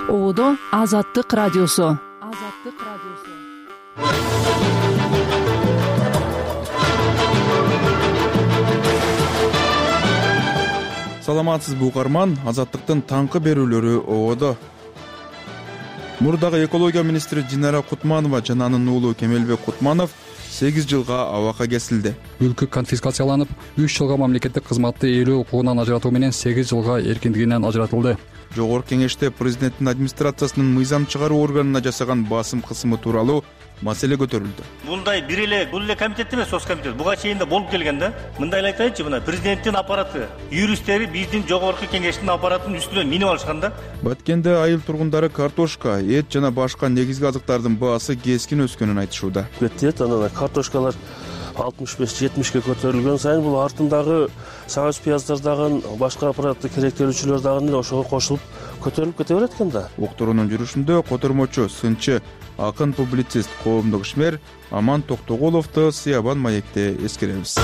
Оодо Азаттык радиосу. Саламатсызбы угарман, Азаттыктын таңкы берүүлөрү оодо. Мурдагы экология министри Динара Кутманова жана анын уулу Кемелбек Кутманов 8 жылга абакка кесилди. Мүлкү конфискацияланып, 3 жылга мамлекеттик кызматты ээлөө укугунан ажыратуу менен 8 жылга эркиндигинен ажыратылды. Жогорку кеңеште президенттин администрациясынын мыйзам чыгаруу органына жасаган басым кысымы тууралуу маселе көтөрүлдү. Мындай бул эле комитет эмес, соц комитет. Буга чейин да болуп келген да. Мындай эле айтайынчы, мына президенттин аппараты, юристтери биздин жогорку кеңештин аппаратынын үстүнө минип алышкан да. Баткенде айыл тургундары картошка, эт жана башка негизги азыктардын баасы кескин өскөнүн айтышууда. Кетет, анан картошкалар 65-70ке көтөрүлгөн сайын бул артындагы сабыз пияздар дагы, башка аппаратты керектелүүчүлөр дагы ошого кошулуп көтөрүлүп кете берет экен да. Уктуруунун жүрүшүндө котормочу, сынчы, акын, публицист, коомдук ишмер Аман Токтогуловду Сыябан маекте эскеребиз.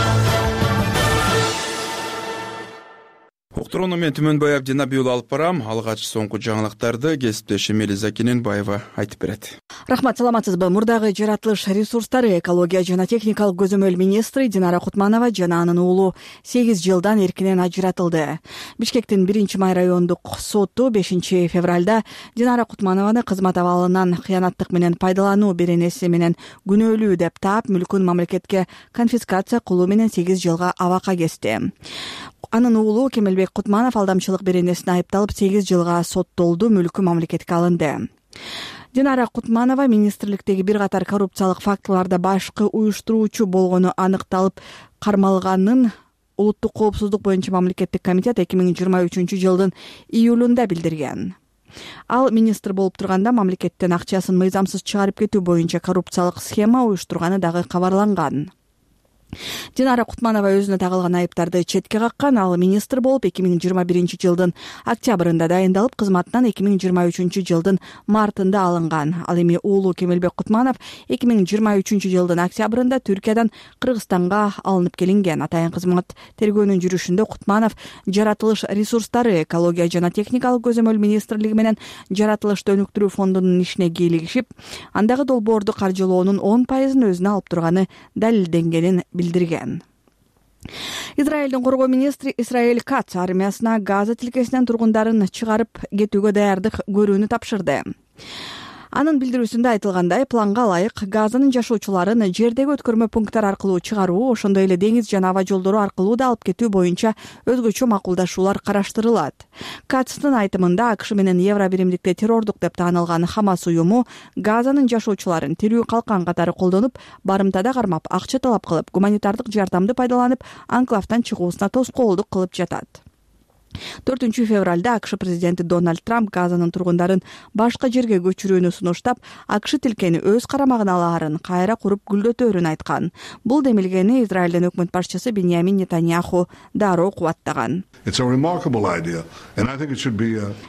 Уктурууну мен Түмөнбай Абдинабий уулу алып барам. Алгач соңку жаңылыктарды кесиптешим Элиза Кененбаева айтып берет. Рахмат, саламатсызбы? Мурдагы жаратылыш ресурстары, экология жана техникалык көзөмөл министри Динара Кутманова жана анын уулу 8 жылдан эркинен ажыратылды. Бишкектин 1-Май райондук соту 5-февралда Динара Кутманованы кызмат абалынан кыянаттык менен пайдалануу беренеси менен күнөөлүү деп таап, мүлкүн мамлекетке конфискация кылуу менен 8 жылга абакка кести. Анын уулу Кемелбек Кутманов алдамчылык беренесине айыпталып 8 жылга соттолду, мүлкү мамлекетке алынды. Динара Кутманова министрликтеги бир катар коррупциялык фактыларда башкы уюштуруучу болгону аныкталып кармалганын Улуттук коопсуздук боюнча мамлекеттик комитет 2023 жылдын июлунда билдирген. Ал министр болуп турганда мамлекеттен акчасын мыйзамсыз чыгарып кетүү боюнча коррупциялык схема уюштурганы дагы кабарланган. Динара Кутманова өзүнө тагылган айыптарды четке каккан. Ал министр болуп 2021 жылдын октябрында дайындалып, кызматтан 2023 жылдын мартында алынган. Ал эми уулу Кемелбек Кутманов 2023 жылдын октябрында Түркиядан Кыргызстанга алынып келинген. Атайын кызмат тергөөнүн жүрүшүндө Кутманов жаратылыш ресурстары, экология жана техникалык көзөмөл министрлиги менен жаратылышты өнүктүрүү фондунун ишине кийлигишип, андагы долбоорду каржылоонун 10% өзүнө алып турганы далилденгенин билдирген. Израилдин коргоо министри Исраэль Кац армиясына Газа тилкесинен тургундарын чыгарып кетүүгө даярдык көрүүнү тапшырды. Анын билдирүүсүндө айтылгандай, планга ылайык Газанын жашоочуларын жердеги өткөрмө пункттар аркылуу чыгаруу, ошондой эле деңиз жана аба жолдору аркылуу да алып кетүү боюнча өзгөчө макулдашуулар караштырылат. Кацтын айтымында АКШ менен Евро биримдикте террордук деп таанылган Хамас уюму Газанын жашоочуларын тирүү калкан катары колдонуп, барымтада кармап, акча талап кылып, гуманитардык жардамды пайдаланып, анклавтан чыгуусуна тоскоолдук кылып жатат. 4-февралда АКШ президенти Дональд Трамп Газанын тургундарын башка жерге көчүрүүнү сунуштап, АКШ тилкени өз карамагына алаарын, кайра куруп гүлдөтөөрүн айткан. Бул демилгени Израилдин өкмөт башчысы Биньямин Нетаньяху дароо кубаттаган.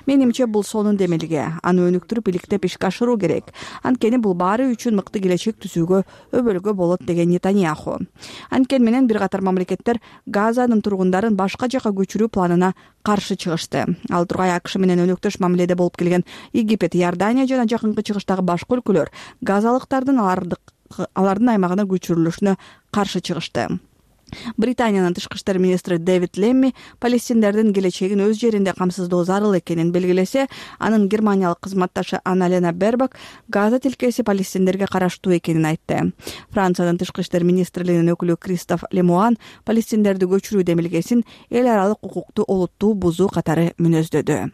Менимче бул сонун демилге. Аны өнүктүрүп, иликтеп ишке ашыруу керек. Анткени бул баары үчүн мыкты келечек түзүүгө өбөлгө болот деген Нетаньяху. Анткени менен бир катар мамлекеттер Газанын тургундарын башка жака көчүрүү планына каршы чыгышты. Ал тургай АКШ менен өнөктөш мамиледе болуп келген Египет, Иордания жана жакынкы чыгыштагы башка өлкөлөр газалыктардын алардын аймагына көчүрүлүшүнө каршы чыгышты. Британиянын тышкы иштер министри Дэвид Лемми палестиндердин келечегин өз жеринде камсыздоо зарыл экенин белгилесе, анын германиялык кызматташы Анна-Лена Бербак Газа тилкеси палестиндерге караштуу экенин айтты. Франциянын тышкы иштер министрлигинин өкүлү Кристоф Лемуан палестиндерди көчүрүү демилгесин эл аралык укукту олуттуу бузуу катары мүнөздөдү.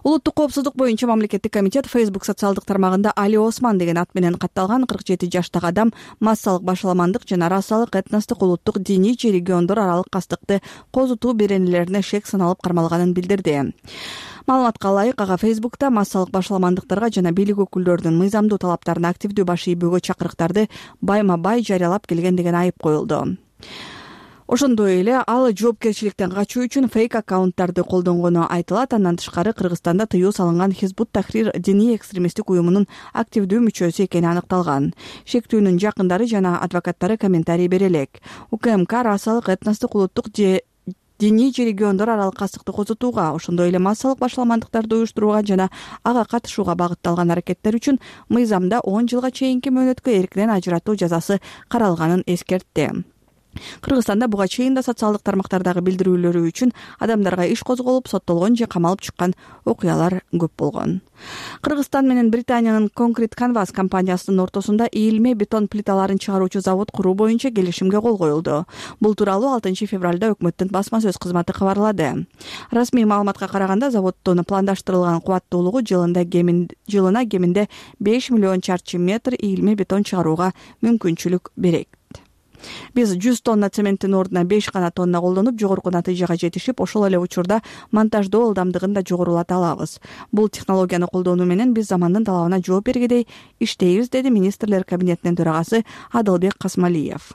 Улуттук коопсуздук боюнча мамлекеттик комитет Facebook социалдык тармагында Али Осман деген ат менен катталган 47 жаштагы адам массалык башаламандык жана расалык, этностук, улуттук, диний же региондор аралык кастыкты козутуу беренелерине шек саналып кармалганын билдирди. Маалыматка ылайык, ага Facebook'та массалык башаламандыктарга жана бийлик өкүлдөрүнүн мыйзамдуу талаптарына активдүү баш ийбөөгө чакырыктарды байма-бай жарыялап келген деген айып коюлду. Ошондой эле ал жоопкерчиликтен качуу үчүн фейк аккаунттарды колдонгону айтылат. Андан тышкары Кыргызстанда тыюу салынган Хизбут Тахрир диний экстремисттик уюмунун активдүү мүчөсү экени аныкталган. Шектүүнүн жакындары жана адвокаттары комментарий бере элек. УКМК расалык, этностук, улуттук диний же региондор аралык кастыкты козутууга, ошондой эле массалык башаламандыктарды уюштурууга жана ага катышууга багытталган аракеттер үчүн мыйзамда 10 жылга чейинки мөөнөткө эркинен ажыратуу жазасы каралганын эскертти. Кыргызстанда буга чейин да социалдык тармактардагы билдирүүлөрү үчүн адамдарга иш козголуп, соттолгон же камалып чыккан окуялар көп болгон. Кыргызстан менен Британиянын Concrete Canvas компаниясынын ортосунда ийилме бетон плиталарын чыгаруучу завод куруу боюнча келишимге кол коюлду. Бул тууралуу 6 февралда өкмөттүн басма сөз кызматы кабарлады. Расмий маалыматка караганда заводдун пландаштырылган кубаттуулугу жылына кеминде 5 миллион чарчы метр ийилме бетон чыгарууга мүмкүнчүлүк берет. Биз 100 тонна цементтин ордуна 5 гана тонна колдонуп, жогорку натыйжага жетишип, ошол эле учурда монтаждоо ылдамдыгын да жогорулата алабыз. Бул технологияны колдонуу менен биз замандын талабына жооп бергедей иштейбиз, деди министрлер кабинетинин төрагасы Адылбек Касмалиев.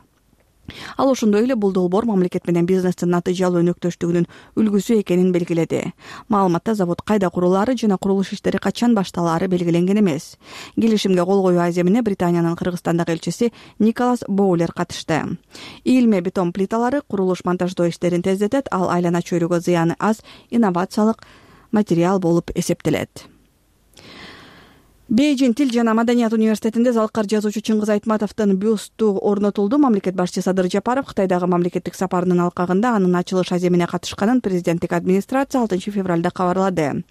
Ал ошондой эле бул долбоор мамлекет менен бизнестин натыйжалуу өнөктөштүгүнүн үлгүсү экенин белгиледи. Маалыматта завод кайда курулаары жана курулуш иштери качан башталаары белгиленген эмес. Келишимге кол коюу аземине Британиянын Кыргызстандагы элчиси Николас Боулер катышты. Ийилме бетон плиталары курулуш монтаждоо иштерин тездетет, ал айлана чөйрөгө зыяны аз инновациялык материал болуп эсептелет. Бейжин Тил жана Маданият университетинде залкар жазуучу Чыңгыз Айтматовдун бюсту орнотулду. Мамлекет башчысы Садыр Жапаров Кытайдагы мамлекеттик сапарынын алкагында анын ачылыш аземине катышканын президенттик администрация 6 февралда кабарлады.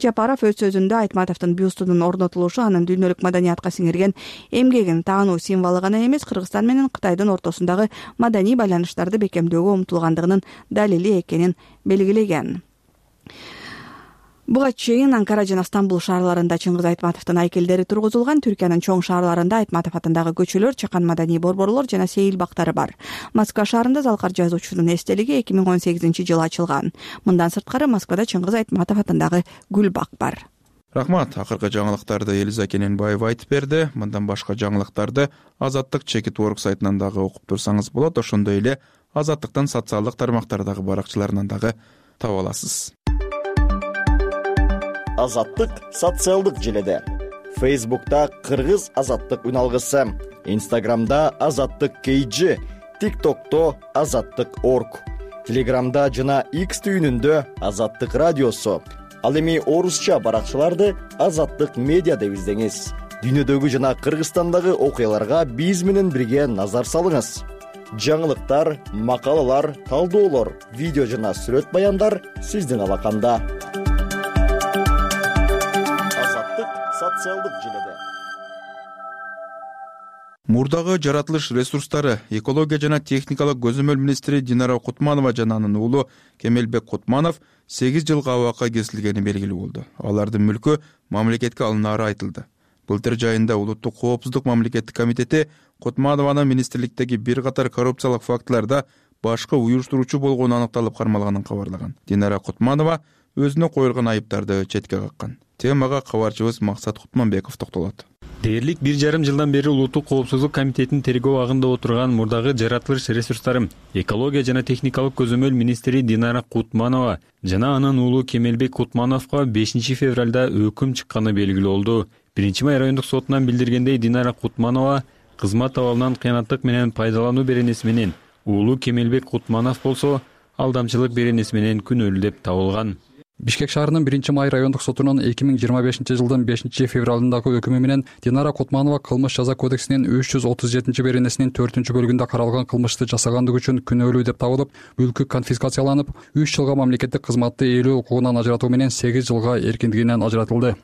Жапаров өз сөзүндө Айтматовдун бюстунун орнотулушу анын дүйнөлүк маданиятка сиңирген эмгегин таануу символу гана эмес, Кыргызстан менен Кытайдын ортосундагы маданий байланыштарды бекемдөөгө умтулгандыгынын далили экенин белгилеген. Буга чейин Анкара жана Стамбул шаарларында Чыңгыз Айтматовдун айкелдери тургузулган. Түркиянын чоң шаарларында Айтматов атындагы көчөлөр, чакан маданий борборлор жана сейил бактары бар. Москва шаарында залкар жазуучунун эстелиги 2018-жылы ачылган. Мындан сырткары Москвада Чыңгыз Айтматов атындагы гүл бак бар. Рахмат. Акыркы жаңылыктарды Элиза Кененбаева айтып берди. Мындан башка жаңылыктарды Азаттык Чекит.org сайтынан дагы окуп турсаңыз болот. Ошондой эле Азаттыктын социалдык тармактардагы баракчаларынан дагы таба аласыз. Азаттык социалдык желеде. Facebook'ta Кыргыз Азаттык үналгысы, Instagram'da Азаттык KG, TikTok'ta Азаттык.org, Telegram'da жана X түйүнүндө Азаттык радиосу. Ал эми орусча баракчаларды Азаттык медиа деп издеңиз. Дүйнөдөгү жана Кыргызстандагы окуяларга биз менен бирге назар салыңыз. Жаңылыктар, макалалар, талдоолор, видео жана сүрөт баяндар сиздин алаканда. Социалдык желеде. Мурдагы жаратылыш ресурстары, экология жана техникалык көзөмөл министри Динара Кутманова жана анын уулу Кемелбек Кутманов 8 жылга абакка кесилгени белгилүү болду. Алардын мүлкү мамлекетке алынаары айтылды. Былтыр жайында Улуттук коопсуздук мамлекеттик комитети Кутманованын министрликтеги бир катар коррупциялык фактыларда башкы уюштуруучу болгону аныкталып кармалганын кабарлаган. Динара Кутманова өзүнө коюлган айыптарды четке каккан. Темага кабарчыбыз Максат Кутманбеков токтолот. Дээрлик 1,5 жылдан бери Улуттук коопсуздук комитетинин тергөө агында отурган мурдагы жаратылыш ресурстары, экология жана техникалык көзөмөл министри Динара Кутманова жана анын уулу Кемелбек Кутмановго 5 февралда өкүм чыкканы белгилүү болду. 1-май райондук сотунан билдиргендей, Динара Кутманова кызмат абалынан кыянаттык менен пайдалануу беренеси менен, уулу Кемелбек Кутманов болсо алдамчылык беренеси менен күнөөлүү деп табылган. Бишкек шаарынын 1-май райондук сотунун 2025-жылдын 5 февралындагы өкүмү менен Динара Кутманова кылмыш жаза кодексинин 337 беренесинин 4-бөлүгүндө каралган кылмышты жасагандыгы үчүн күнөөлүү деп табылып, мүлкү конфискацияланып, 3 жылга мамлекеттик кызматты ээлөө укугунан ажыратуу менен 8 жылга эркиндигинен ажыратылды.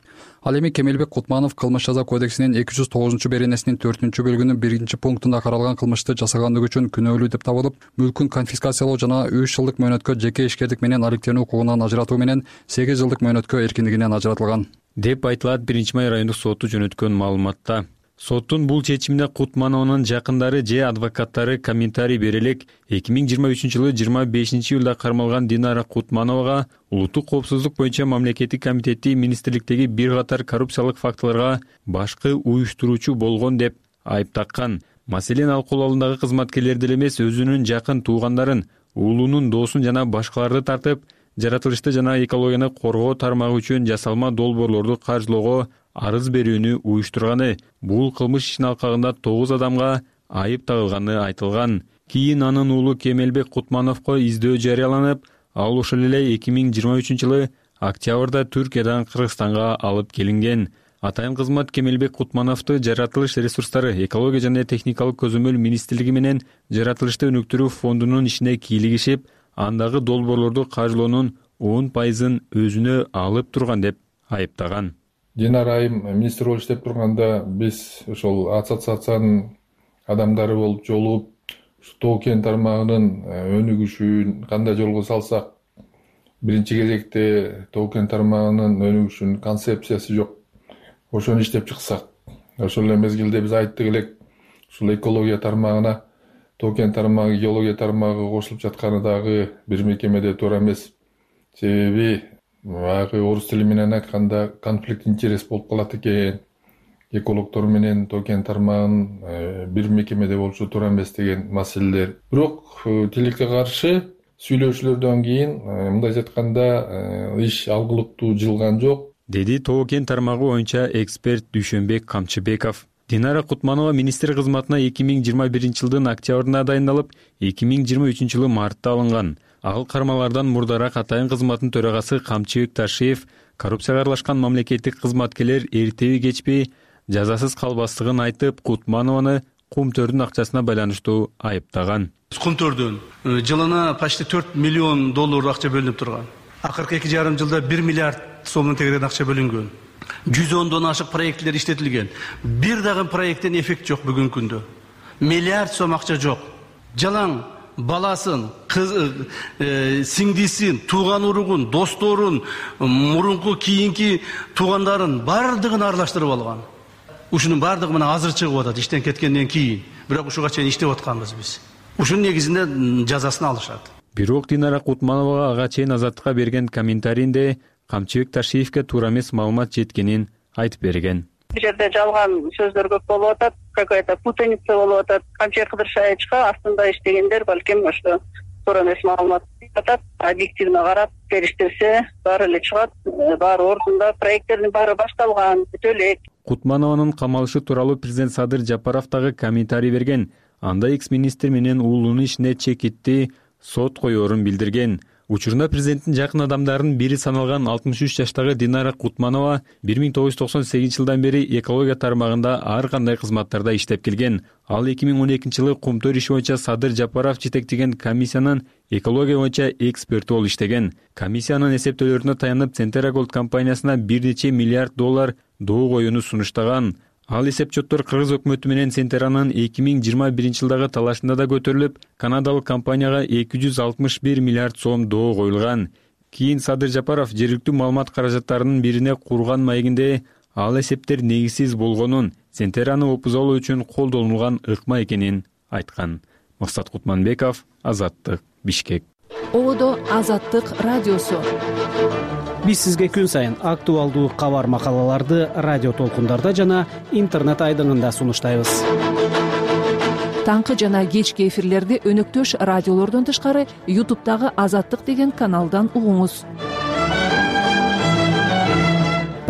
Ал эми Кемелбек Кутманов кылмыш жаза кодексинин 209 беренесинин 4-бөлүгүнүн 1-пунктунда каралган кылмышты жасагандыгы үчүн күнөөлүү деп табылып, мүлкүн конфискациялоо жана 3 жылдык мөөнөткө жеке ишкердик менен алектенүү укугунан ажыратуу менен 8 жылдык мөөнөткө эркиндигинен ажыратылган деп айтылат 1-май райондук соту жөнөткөн маалыматта. Соттун бул чечимине Кутманованын жакындары же адвокаттары комментарий бере элек 2023-жылы 25-июлда кармалган Динара Кутмановага Улуттук коопсуздук боюнча мамлекеттик комитети министрликтеги бир катар коррупциялык фактыларга башкы уюштуруучу болгон деп айып таккан. Маселен, ал кол алдындагы кызматкерлерди эле эмес, өзүнүн жакын туугандарын, уулунун доосун жана башкаларды тартып, жаратылышты жана экологияны коргоо тармагы үчүн жасалма долбоорлорду каржылоого арыз берүүнү уюштурганы. Бул кылмыш ишинин алкагында 9 адамга айып тагылганы айтылган. Кийин анын уулу Кемелбек Кутмановго издөө жарыяланып, ал ошол эле 2023-жылы октябрда Түркиядан Кыргызстанга алып келинген. Атайын кызмат Кемелбек Кутмановду жаратылыш ресурстары, экология жана техникалык көзөмөл министрлиги менен жаратылышты өнүктүрүү фондунун ишине кийлигишип, андагы долбоорлорду каржылоонун 10% өзүнө алып турган деп айыптаган. Динара айым министр болуп иштеп турганда биз ошол ассоциациянын адамдары болуп жолугуп, Тоо кен тармагынын өнүгүшүн кандай жолго салсак, биринчи кезекте Тоо кен тармагынын өнүгүшүнүн концепциясы жок. Ошону иштеп чыксак, ошол эле мезгилде биз айттык элек, ушул экология тармагына Тоо кен тармагы, геология тармагы кошулуп жатканы дагы бир мекемеде туура эмес. Себеби баягы орус тили менен айтканда конфликт интерес болуп калат экен. Экологдор менен Тоо кен тармагынын бир мекемеде болушу туура эмес деген маселелер. Бирок тилекке каршы сүйлөшүүлөрдөн кийин мындайча айтканда иш алгылыктуу жылган жок, деди Тоо кен тармагы боюнча эксперт Дүйшөнбек Камчыбеков. Динара Кутманова министр кызматына 2021-жылдын октябрында дайындалып, 2023-жылы мартта алынган. Ал кармалардан мурдараак атайын кызматтын төрагасы Камчыбек Ташиев коррупцияга аралашкан мамлекеттик кызматкерлер эртеби кечпей жазасыз калбастыгын айтып, Кутманованы Кумтөрдүн акчасына байланыштуу айыптаган. Кумтөрдүн жылына почти $4 миллион акча бөлүнүп турган. Акыркы 2,5 жылда 1 миллиард сомдон тегерен акча бөлүнгөн. 110дон ашык проекттер иштетилген. Бир дагы проекттен эффект жок бүгүнкү күндө. Миллиард сом акча жок. Жалаң баласын, сиңдисин, тууган уругун, досторун, мурунку кийинки туугандарын бардыгын аралаштырып алган. Ушунун бардыгы менен азыр чыгып атат иштен кеткенден кийин. Бирок ушуга чейин иштеп атканбыз биз. Ушунун негизинде жазасын алышат. Бирок Динара Кутмановага ага чейин азаттыкка берген комментарийинде Камчыбек Ташиевке туура эмес маалымат жеткенин айтып берген. Бул жерде жалган сөздөр көп болуп атат, какая-то путаница болуп атат. Камчыбек Кыдыршаевичка астында иштегендер балким ошо туура эмес маалымат атат. Объективно карап териштирсе, баары эле чыгат, баары ордунда, проекттердин баары башталган, бүтө элек. Кутманованын камалышы тууралуу президент Садыр Жапаров дагы комментарий берген. Анда экс-министр менен уулунун ишине чекитти сот коёрун билдирген. Учурунда президенттин жакын адамдарынын бири саналган 63 жаштагы Динара Кутманова 1998-жылдан бери экология тармагында ар кандай кызматтарда иштеп келген. Ал 2012-жылы Кумтөр иши боюнча Садыр Жапаров жетектеген комиссиянын экология боюнча эксперти болуп иштеген. Комиссиянын эсептөөлөрүнө таянып Centera Gold компаниясына $1 нече миллиард доо коюуну сунуштаган. Ал эсепчоттор Кыргыз өкмөтү менен Centera'нын 2021-жылдагы талашында да көтөрүлүп, канадалык компанияга 261 миллиард сом доо коюлган. Кийин Садыр Жапаров жергиликтүү маалымат каражаттарынын бирине курган маегинде ал эсептер негизсиз болгонун, Centera'ны опузалоо үчүн колдонулган ыкма экенин айткан. Максат Кутманбеков, Азаттык, Бишкек. Одо Азаттык радиосу. Биз сизге күн сайын актуалдуу кабар макалаларды радио толкундарда жана интернет айдыңында сунуштайбыз. Таңкы жана кечки эфирлерди өнөктөш радиолордон тышкары YouTube'дагы Азаттык деген каналдан угуңуз.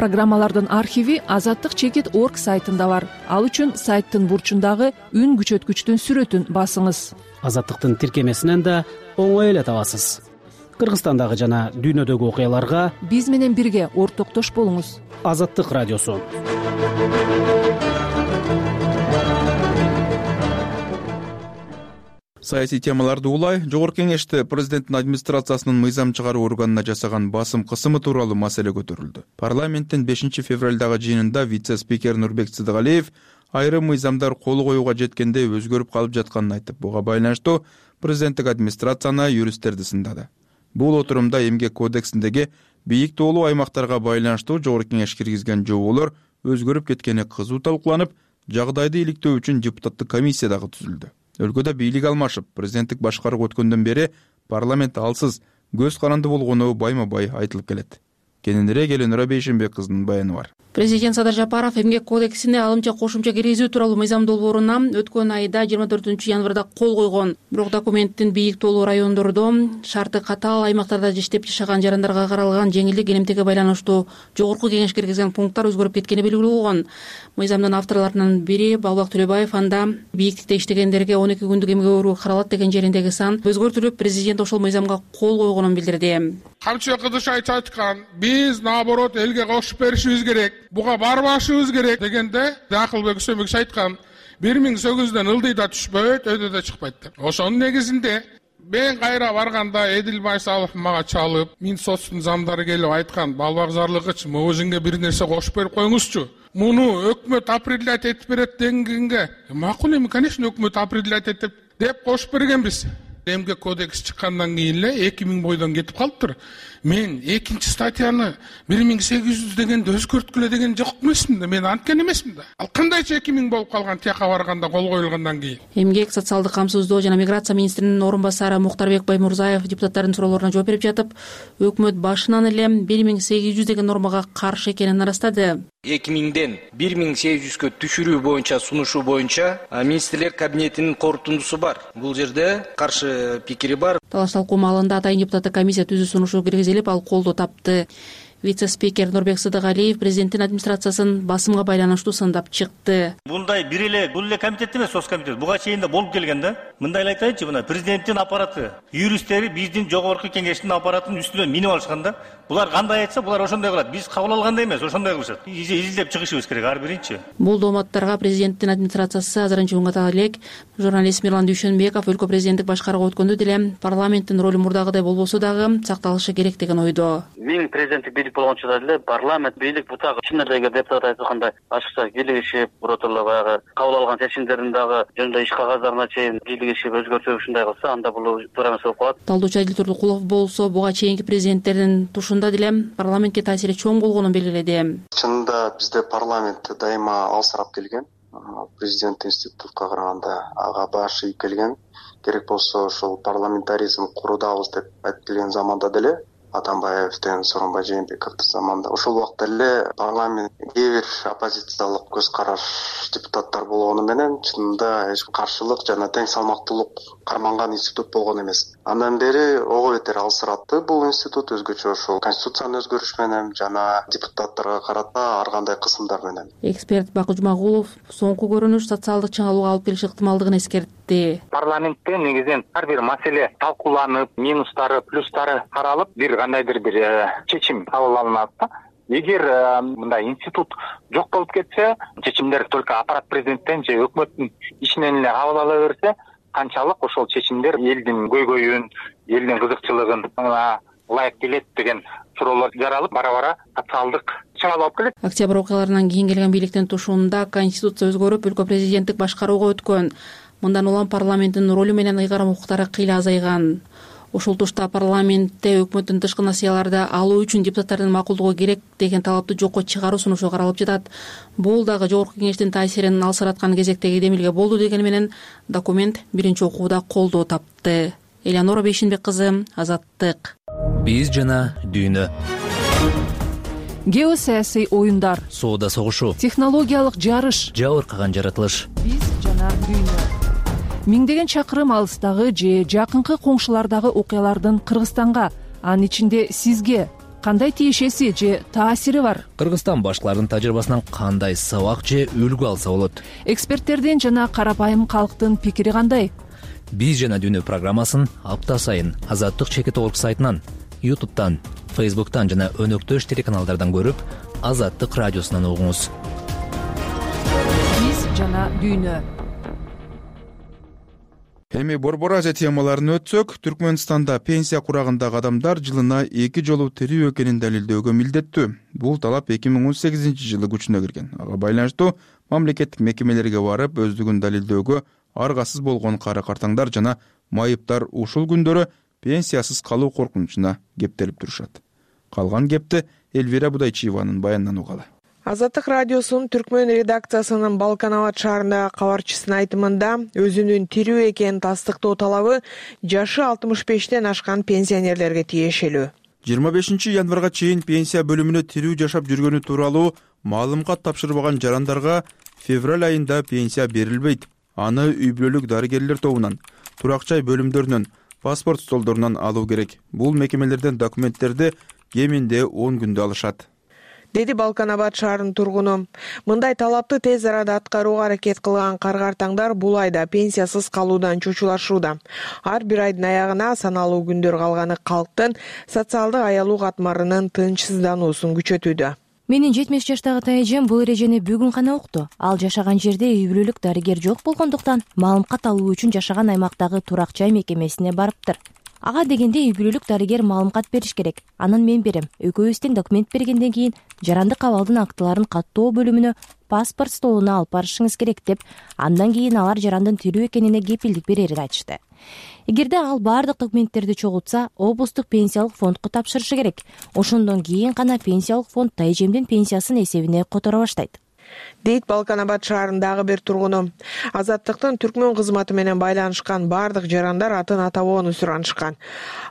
Программалардын архиви azattik.org сайтында бар. Ал үчүн сайттын бурчундагы үн күчөткүчтүн сүрөтүн басыңыз. Азаттыктын тиркемесинен да оңой эле табасыз. Кыргызстандагы жана дүйнөдөгү окуяларга биз менен бирге ортоктош болуңуз. Азаттык радиосу. Саясий темаларды улай, Жогорку Кеңеште президенттин администрациясынын мыйзам чыгаруу органына жасаган басым кысымы тууралуу маселе көтөрүлдү. Парламенттин 5 февралдагы жыйынында вице-спикер Нурбек Сыдыгалиев айрым мыйзамдар кол коюуга жеткенде өзгөрүп калып жатканын айтып, буга байланыштуу президенттик администрацияны юристтерди сындады. Бул отурумда эмгек кодексиндеги бийик тоолуу аймактарга байланыштуу Жогорку Кеңеш киргизген жоболор өзгөрүп кеткени кызуу талкууланып, жагдайды иликтөө үчүн депутаттык комиссия дагы түзүлдү. Өлкөдө бийлик алмашып, президенттик башкарууга өткөндөн бери парламент алсыз, көз каранды болгону байма-бай айтылып келет. Кененирээк Эленура Бейшенбек кызынын баяны бар. Президент Садыр Жапаров эмгек кодексине алымча кошумча киргизүү тууралуу мыйзам долбооруна өткөн айда 24 январда кол койгон. Бирок документтин бийик тоолуу райондордо шарты катаал аймактарда иштеп жашаган жарандарга каралган жеңилдик элемтиге байланыштуу жогорку кеңеш киргизген пункттар өзгөрүп кеткени белгилүү болгон. Мыйзамдын авторлорунун бири Балбак Төлөбаев анда бийиктикте иштегендерге 12 күндүк эмгек өөрү каралат деген жериндеги сан өзгөртүлүп, президент ошол мыйзамга кол койгонун билдирди. Камчы Кыдышевич айткан, биз наоборот элге кошуп беришибиз керек, буга барбашыбыз керек дегенде Акылбек Үсөнбекович айткан, 1800-дөн ылдый да түшпөйт, өйдө да чыкпайт деп. Ошонун негизинде мен кайра барганда Эдил Байсалов мага чалып, Минсоттун замдары келип айткан, Балбак Зарлыгыч, могузиңге бир нерсе кошуп берип коюңузчу. Муну өкмөт определять этип берет дегенге, макул эми, конечно, өкмөт определять этип деп кошуп бергенбиз. Эмгек кодекс чыккандан кийин эле 2000 бойдон кетип калыптыр. Мен экинчи статьяны 1800 дегенде өзгөрткүлө деген жок эмесмин да, мен анткен эмесмин да. Ал кандайча 2000 болуп калган тияка барганда кол коюлгандан кийин. Эмгек, социалдык камсыздоо жана миграция министринин орун басары Муктарбек Баймурзаев депутаттардын суроолоруна жооп берип жатып, өкмөт башынан эле 1800 деген нормага каршы экенин ырастады. 2000ден 1800гө түшүрүү боюнча сунушу боюнча министрлер кабинетинин корутундусу бар. Бул жерде каршы пикири бар. Талаш талкуу маалында атайын депутаттык комиссия түзүү сунушу киргизилип, ал колдоо тапты. Вице-спикер Нурбек Сыдыгалиев президенттин администрациясын басымга байланыштуу сындап чыкты. Мындай бул эле комитет эмес, соц комитет. Буга чейин да болуп келген да. Мындай айтайынчы, мына президенттин аппараты, юристтери биздин жогорку кеңештин аппаратынын үстүнөн минип алышкан да. Булар кандай айтса, булар ошондой кылат. Биз кабыл алгандай эмес, ошондой кылышат. Изилдеп чыгышыбыз керек ар биринчи. Бул дооматтарга президенттин администрациясы азырынча унгата элек. Журналист Мирлан Дүйшөнбеков өлкө президенттик башкарууга өткөндө деле парламенттин ролу мурдагыдай болбосо дагы сакталышы керек деген ойдо. Мен президенттик бийлик болгончо деле парламент бийлик бутагы чын эле депутат айткандай ачыкча кийлигишип, биротоло баягы кабыл алган чечимдерин дагы жөнүндө иш кагаздарына чейин кийлигишип өзгөртүп ушундай кылса, анда бул туура эмес болуп калат. Талдоочу Адил Турдукулов болсо буга чейинки президенттердин тушунда деле парламентке таасири чоң болгонун белгиледи. Чынында бизде парламент дайыма алсырап келген. Президент институтка караганда ага баш ийип келген. Керек болсо ошол парламентаризм курудабыз деп айтып келген заманда деле Атамбаевден Сооронбай Жээнбековдун заманында ошол убакта эле парламент кээ бир оппозициялык көз караш депутаттар болгону менен чынында эч каршылык жана тең салмактуулук карманган институт болгон эмес. Андан бери ого бетер алсыратты бул институт, өзгөчө ошол конституцияны өзгөрүш менен жана депутаттарга карата ар кандай кысымдар менен. Эксперт Бакы Жумагулов соңку көрүнүш социалдык чыңалууга алып келиши ыктымалдыгын эскертти. Парламентте негизинен ар бир маселе талкууланып, минустары, плюстары каралып, бир кандайдыр бир чечим кабыл алынат да. Эгер мындай институт жок болуп кетсе, чечимдер только аппарат президенттен же өкмөттүн ишинен эле кабыл ала берсе, канчалык ошол чечимдер элдин көйгөйүн, элдин кызыкчылыгын ылайык келет деген суроолор жаралып, бара-бара социалдык чыңалуу алып келет. Октябрь окуяларынан кийин келген бийликтин тушуунда конституция өзгөрүп, өлкө президенттик башкарууга өткөн. Мындан улам парламенттин ролу менен ыйгарым укуктары кыйла азайган. Ошол тушта парламентте өкмөттүн тышкы насыяларды алуу үчүн депутаттардын макулдугу керек деген талапты жокко чыгаруу сунушу каралып жатат. Бул дагы жогорку кеңештин таасирин алсыраткан кезектеги демилге болду дегени менен документ биринчи окууда колдоо тапты. Элеонора Бейшинбек кызы, Азаттык. Биз жана дүйнө. Геосаясий оюндар, соода согушу, технологиялык жарыш, жабыркаган жаратылыш. Биз жана дүйнө. Миңдеген чакырым алыстагы же жакынкы коңшулардагы окуялардын Кыргызстанга, анын ичинде сизге кандай тиешеси же таасири бар? Кыргызстан башкалардын тажрыйбасынан кандай сабак же үлгү алса болот? Эксперттердин жана карапайым калктын пикири кандай? Биз жана дүйнө программасын апта сайын Азаттык чекит орг сайтынан, YouTube'тан, Facebook'тан жана өнөктөш телеканалдардан көрүп, Азаттык радиосунан угуңуз. Биз жана дүйнө. Эми Борбор Азия темаларын өтсөк, Түркмөнстанда пенсия курагындагы адамдар жылына 2 жолу тирүү экенин далилдөөгө милдеттүү. Бул талап 2018-жылы күчүнө кирген. Ага байланыштуу мамлекеттик мекемелерге барып, өздүгүн далилдөөгө аргасыз болгон кары-картаңдар жана майыптар ушул күндөрү пенсиясыз калуу коркунучуна кептелип турушат. Калган кепти Элвира Будайчиеванын баянынан угалы. Азаттык радиосунун түркмөн редакциясынын Балкан Абад шаарындагы кабарчысынын айтымында өзүнүн тирүү экенин тастыктоо талабы жашы 65-тен ашкан пенсионерлерге тиешелүү. 25 январга чейин пенсия бөлүмүнө тирүү жашап жүргөнү тууралуу маалымат тапшырбаган жарандарга февраль айында пенсия берилбейт. Аны үй бүлөлүк дарыгерлер тобунан, турак жай бөлүмдөрүнөн, паспорт столдорунан алуу керек. Бул мекемелерден документтерди кеминде 10 күндө алышат, деди Балкан Абад шаарынын тургуну. Мындай талапты тез арада аткарууга аракет кылган каргартаңдар бул айда пенсиясыз калуудан чочулашууда. Ар бир айдын аягына саналуу күндөр калганы калктын социалдык аялуу катмарынын тынчсыздануусун күчөтүүдө. Менин 70 жаштагы тайжем бул эрежени бүгүн гана укту. Ал жашаган жерде үй бүлөлүк дарыгер жок болгондуктан маалымат алуу үчүн жашаган аймактагы турак жай мекемесине барыптыр. Ага дегенде үй бүлөлүк дарыгер маалымат бериш керек. Анан мен берем. Экөөбүз тең документ бергенден кийин жарандык абалдын актыларын каттоо бөлүмүнө паспорт столуна алып барышыңыз керек деп, андан кийин алар жарандын тирүү экенине кепилдик берерин айтышты. Эгерде ал баардык документтерди чогултса, облустук пенсиялык фондко тапшырышы керек. Ошондон кийин гана пенсиялык фонд тайжемдин пенсиясын эсебине которо баштайт, дейт Балкан Абад шаарындагы бир тургуну. Азаттыктын түркмөн кызматы менен байланышкан баардык жарандар атын атабоону суранышкан.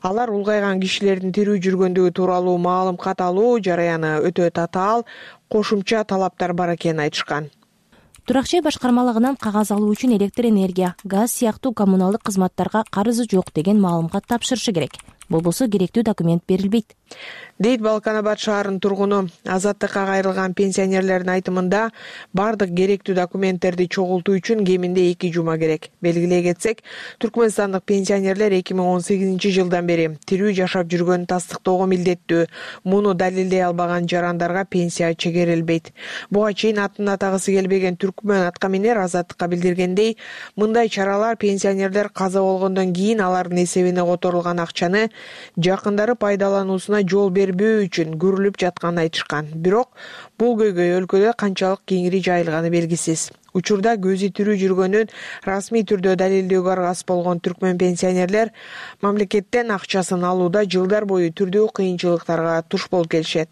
Алар улгайган кишилердин тирүү жүргөндүгү тууралуу маалымат алуу жараяны өтө татаал, кошумча талаптар бар экенин айтышкан. Турак жай башкармалыгынан кагаз алуу үчүн электр энергия, газ сыяктуу коммуналдык кызматтарга карызы жок деген маалымат тапшырышы керек. Болбосо керектүү документ берилбейт, дейт Балкан Абад шаарынын тургуну. Азаттыкка кайрылган пенсионерлердин айтымында баардык керектүү документтерди чогултуу үчүн кеминде 2 жума керек. Белгилей кетсек, түркмөнстандык пенсионерлер 2018 жылдан бери тирүү жашап жүргөнүн тастыктоого милдеттүү. Муну далилдей албаган жарандарга пенсия чегерилбейт. Буга чейин атын атагысы келбеген түркмөн аткаминер Азаттыкка билдиргендей, мындай чаралар пенсионерлер каза болгондон кийин алардын эсебине которулган акчаны жакындары пайдалануусуна жол бербөө үчүн көрүлүп жатканын айтышкан. Бирок бул көйгөй өлкөдө канчалык кеңири жайылганы белгисиз. Учурда көзү тирүү жүргөнүн расмий түрдө далилдөөгө аргасыз болгон түркмөн пенсионерлер мамлекеттен акчасын алууда жылдар бою түрдүү кыйынчылыктарга туш болуп келишет.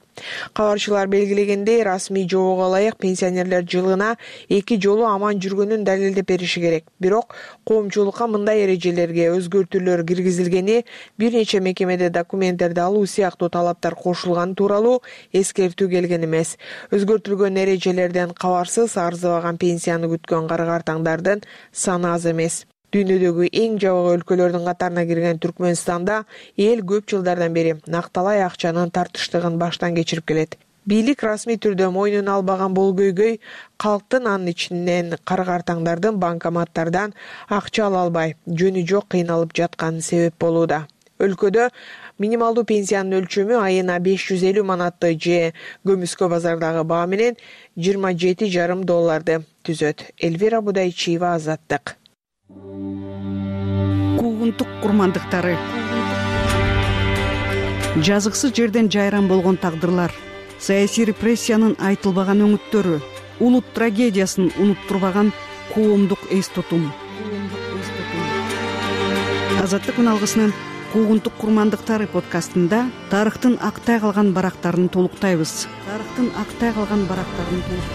Кабарчылар белгилегендей, расмий жоого ылайык пенсионерлер жылына 2 жолу аман жүргөнүн далилдеп бериши керек. Бирок коомчулукка мындай эрежелерге өзгөртүүлөр киргизилгени, бир нече мекемеде документтерди алуу сыяктуу талаптар кошулганы тууралуу эскертүү келген эмес. Өзгөртүлгөн эрежелерден кабарсыз арзыбаган пенсияны күткөн каргартаңдардын саны аз эмес. Дүйнөдөгү эң жабык өлкөлөрдүн катарына кирген Түркмөнстанда эл көп жылдардан бери накталай акчанын тартыштыгын баштан кечирип келет. Бийлик расмий түрдө мойнуна албаган бул көйгөй калктын, анын ичинен каргартаңдардын банкоматтардан акча ала албай, жөнү жок кыйналып жатканы себеп болууда. Өлкөдө минималдуу пенсиянын өлчөмү айына 550 манатты же көмүскө базардагы баа менен $27,5 түзөт. Эльвира Будайчиева, Азаттык. Куугунтук курмандыктары. Жазыксыз жерден жайран болгон тагдырлар, саясий репрессиянын айтылбаган өңүттөрү, улут трагедиясын унуттурбаган коомдук эс тутум. Азаттык үналгысынын Куугунтук курмандыктары подкастында тарыхтын актай калган барактарын толуктайбыз.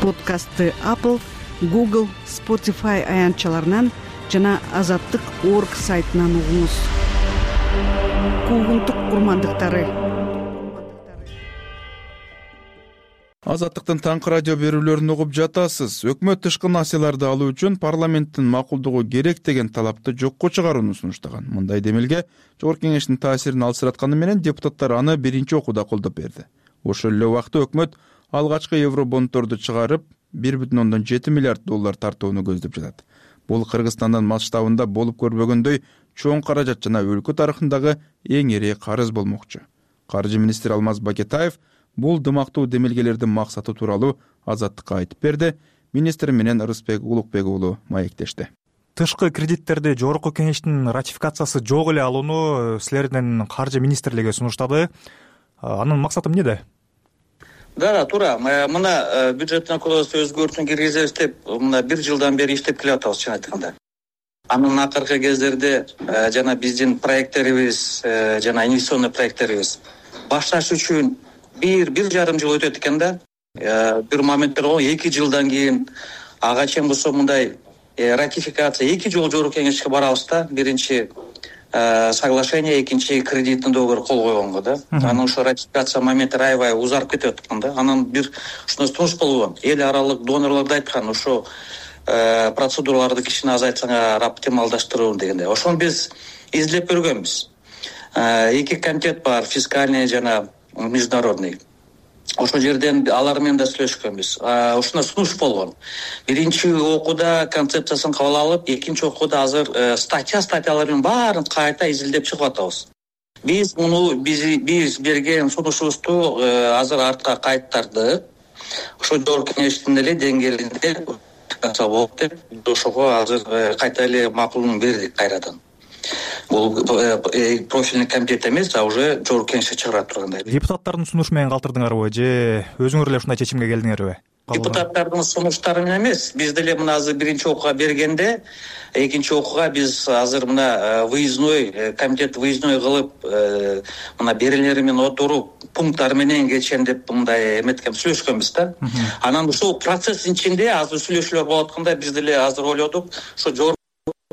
Подкастты Apple, Google, Spotify аянтчаларынан жана Азаттык.org сайтынан угуңуз. Куугунтук курмандыктары. Азаттыктын таңкы радио берүүлөрүн угуп жатасыз. Өкмөт тышкы насыяларды алуу үчүн парламенттин макулдугу керек деген талапты жокко чыгарууну сунуштаган. Мындай демилге Жогорку Кеңештин таасирин алсыратканы менен депутаттар аны биринчи окууда колдоп берди. Ошол эле убакта өкмөт алгачкы евробонддорду чыгарып $1,7 миллиард тартууну көздөп жатат. Бул Кыргызстандын масштабында болуп көрбөгөндөй чоң каражат жана өлкө тарыхындагы эң ири карыз болмокчу. Каржы министри Алмаз Бакетаев бул дымактуу демилгелердин максаты тууралуу Азаттыкка айтып берди. Министр менен Рыспек Улукбек уулу маектешти. Тышкы кредиттерди Жогорку Кеңештин ратификациясы жок эле алууну силердин каржы министрлиги сунуштады. Анын максаты эмнеде? Да, туура. Мына бюджеттин кодекске өзгөртүүн киргизебиз деп, мына 1 жылдан бери иштеп келатабыз, чын айтканда. Анын акыркы кездерде жана биздин проекттерибиз, жана инвестиционный проекттерибиз башташ үчүн 1,5 жыл өтөт экен да. Бир моменттер 2 жылдан кийин ага чейин болсо мындай ратификация 2 жолу Жогорку Кеңешке барабыз да. Биринчи соглашение, экинчи кредиттин договору кол койгонго да. Анан ошо ратификация моменти аябай узарып кетип аткан да. Анан бир ушуну сунуш болгон. Эл аралык донорлор да айткан, ошо процедураларды кичине азайтсаңар, оптималдаштыруу дегенде. Ошону биз изилдеп көргөнбүз. Эки комитет бар, фискальный жана международный. Ошол жерден алар менен да сүйлөшкөнбүз. Ушуна сунуш болгон. Биринчи окууда концепциясын кабыл алып, экинчи окууда азыр статьялардын баарын кайта изилдеп чыгып атабыз. Биз берген сунушубузду азыр артка кайттырдык. Ошо жогорку кеңештин эле деңгээлинде болот деп, ошого азыр кайта эле макулун бердик кайрадан. Бул профильный комитет эмес, а уже жогорку кеңеште чыгарат тургандай. Депутаттардын сунушу менен калтырдыңарбы же өзүңөр эле ушундай чечимге келдиңерби? Депутаттардын сунуштары менен эмес, биз деле мына азыр биринчи окууга бергенде, экинчи окууга биз азыр мына комитет выездной кылып, мына берелери менен отуруп, пункттары менен кетишен деп мындай эметкен сүйлөшкөнбүз да. Анан ушул процесстин ичинде азыр сүйлөшүүлөр болуп атканда биз деле азыр ойлодук, ошо жогорку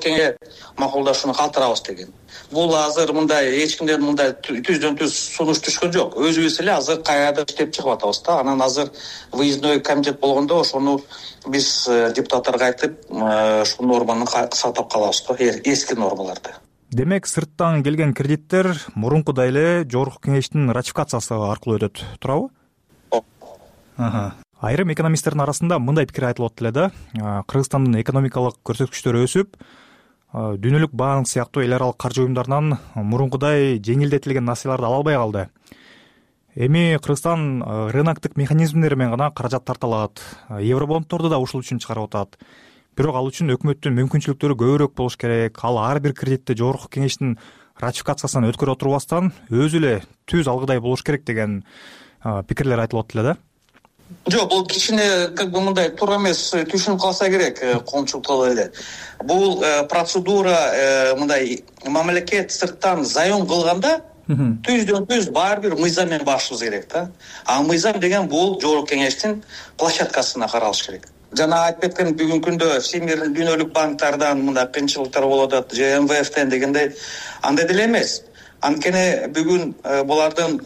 кеңе макулдашууну калтырабыз деген. Бул азыр мындай эч кимден мындай түздөн түз сунуш түшкөн жок. Өзүбүз эле азыр кайрадан иштеп чыгып атабыз да. Анан азыр выездной комитет болгондо ошону биз депутаттарга айтып, ушул норманы сактап калабыз да, эски нормаларды. Демек, сырттан келген кредиттер мурункудай эле жогорку кеңештин ратификациясы аркылуу өтөт, туурабы? Айрым экономисттердин арасында мындай пикир айтылып атты эле да. Кыргызстандын экономикалык көрсөткүчтөрү өсүп, дүйнөлүк банк сыяктуу эл аралык каржы уюмдарынан мурункудай жеңилдетилген насыяларды ала албай калды. Эми Кыргызстан рыноктук механизмдери менен гана каражат тарта алат. Евробонддорду да ушул үчүн чыгарып атат. Бирок ал үчүн өкмөттүн мүмкүнчүлүктөрү көбүрөөк болуш керек. Ал ар бир кредитти жогорку кеңештин ратификациясынан өткөрө отурбастан өзү эле түз алгыдай болуш керек деген пикирлер айтылып атты эле да. Жок, бул кичине мындай туура эмес түшүнүп калса керек, коомчулук эле. Бул процедура мындай мамлекет сырттан заем кылганда түздөн түз баары бир мыйзам менен башыбыз керек да. А мыйзам деген бул жогорку кеңештин площадкасына каралыш керек. Жана айтып кеткен бүгүнкү күндө Всемирный дүйнөлүк банктардан мындай кыйынчылыктар болуп атат, же МВФтен дегендей андай деле эмес. Анткени бүгүн булардын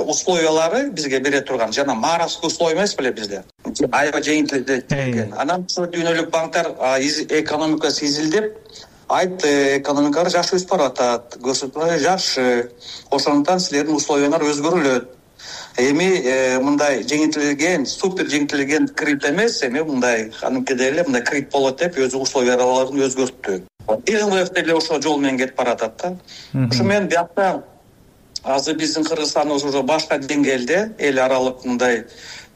условиялары бизге бере турган жана маразский условия эмес беле бизде. Аябай жеңилдетилген. Анан ошо дүйнөлүк банктар экономикасы изилдеп, экономикалар жакшы өсүп баратат, көрсөтмөлөр жакшы. Ошондуктан силердин условиялар өзгөрүлөт. Эми мындай жеңилдетилген, супер жеңилдетилген кредит эмес, эми мындай аныкиде эле мындай кредит болот деп өзү условияларын өзгөрттү. МВФ деле ошол жол менен кетип баратат да. Ошо менен биякта азыр биздин Кыргызстан уже башка деңгээлде эл аралык мындай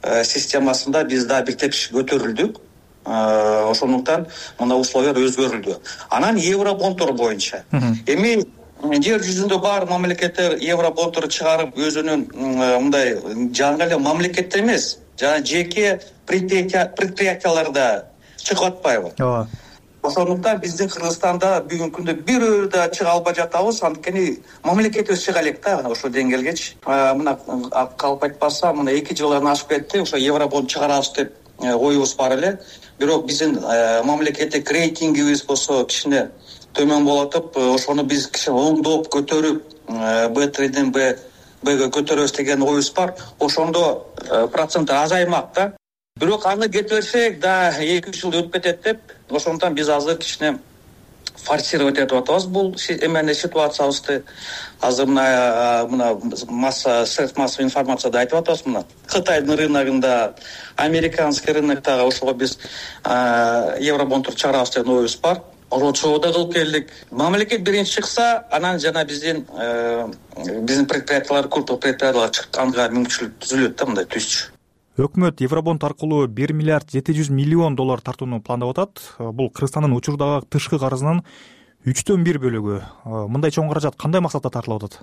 системасында биз да бир тепкич көтөрүлдүк. Ошондуктан мына условиялар өзгөрүлдү. Анан евробонддор боюнча эми жер жүзүндө бар мамлекеттер евробонддор чыгарып өзүнүн мындай жаңы эле мамлекеттер эмес, жана жеке предприятияларда чыгып атпайбы? Ооба. Ошондуктан биздин Кыргызстанда бүгүнкү күндө бирөө да чыга албай жатабыз, анткени мамлекетибиз чыга элек да ошол деңгээлгечи. Мына калп айтпаса, мына 2 жылдан ашып кетти, ошо евробонд чыгарабыз деп оюбуз бар эле. Бирок биздин мамлекеттик рейтингибиз болсо кичине төмөн болуп атып, ошону биз кичине оңдоп көтөрүп, Б3ден Б2ге көтөрөбүз деген оюбуз бар. Ошондо процент азаймак да. Бирок аны кетирсек да 2 жыл өтүп кетет деп, ошондуктан биз азыр кичине форсировать этип атабыз бул ситуациябызды. Азыр мына средств массовой информацияда айтып атабыз мына. Кытайдын рыногунда, американский рыноктогу ошого биз евробонддор чыгарабыз деген оюбуз бар. Ошого да кылып келдик. Мамлекет биринчи чыкса, анан жана биздин предприятиялар, крупный предприятиялар чыкканга мүмкүнчүлүк түзүлөт да мындай түзчү. Өкмөт евробонд аркылуу 1 миллиард 700 миллион доллар тартууну пландап атат. Бул Кыргызстандын учурдагы тышкы карызынын 1/3 бөлүгү. Мындай чоң каражат кандай максатта тартылып атат?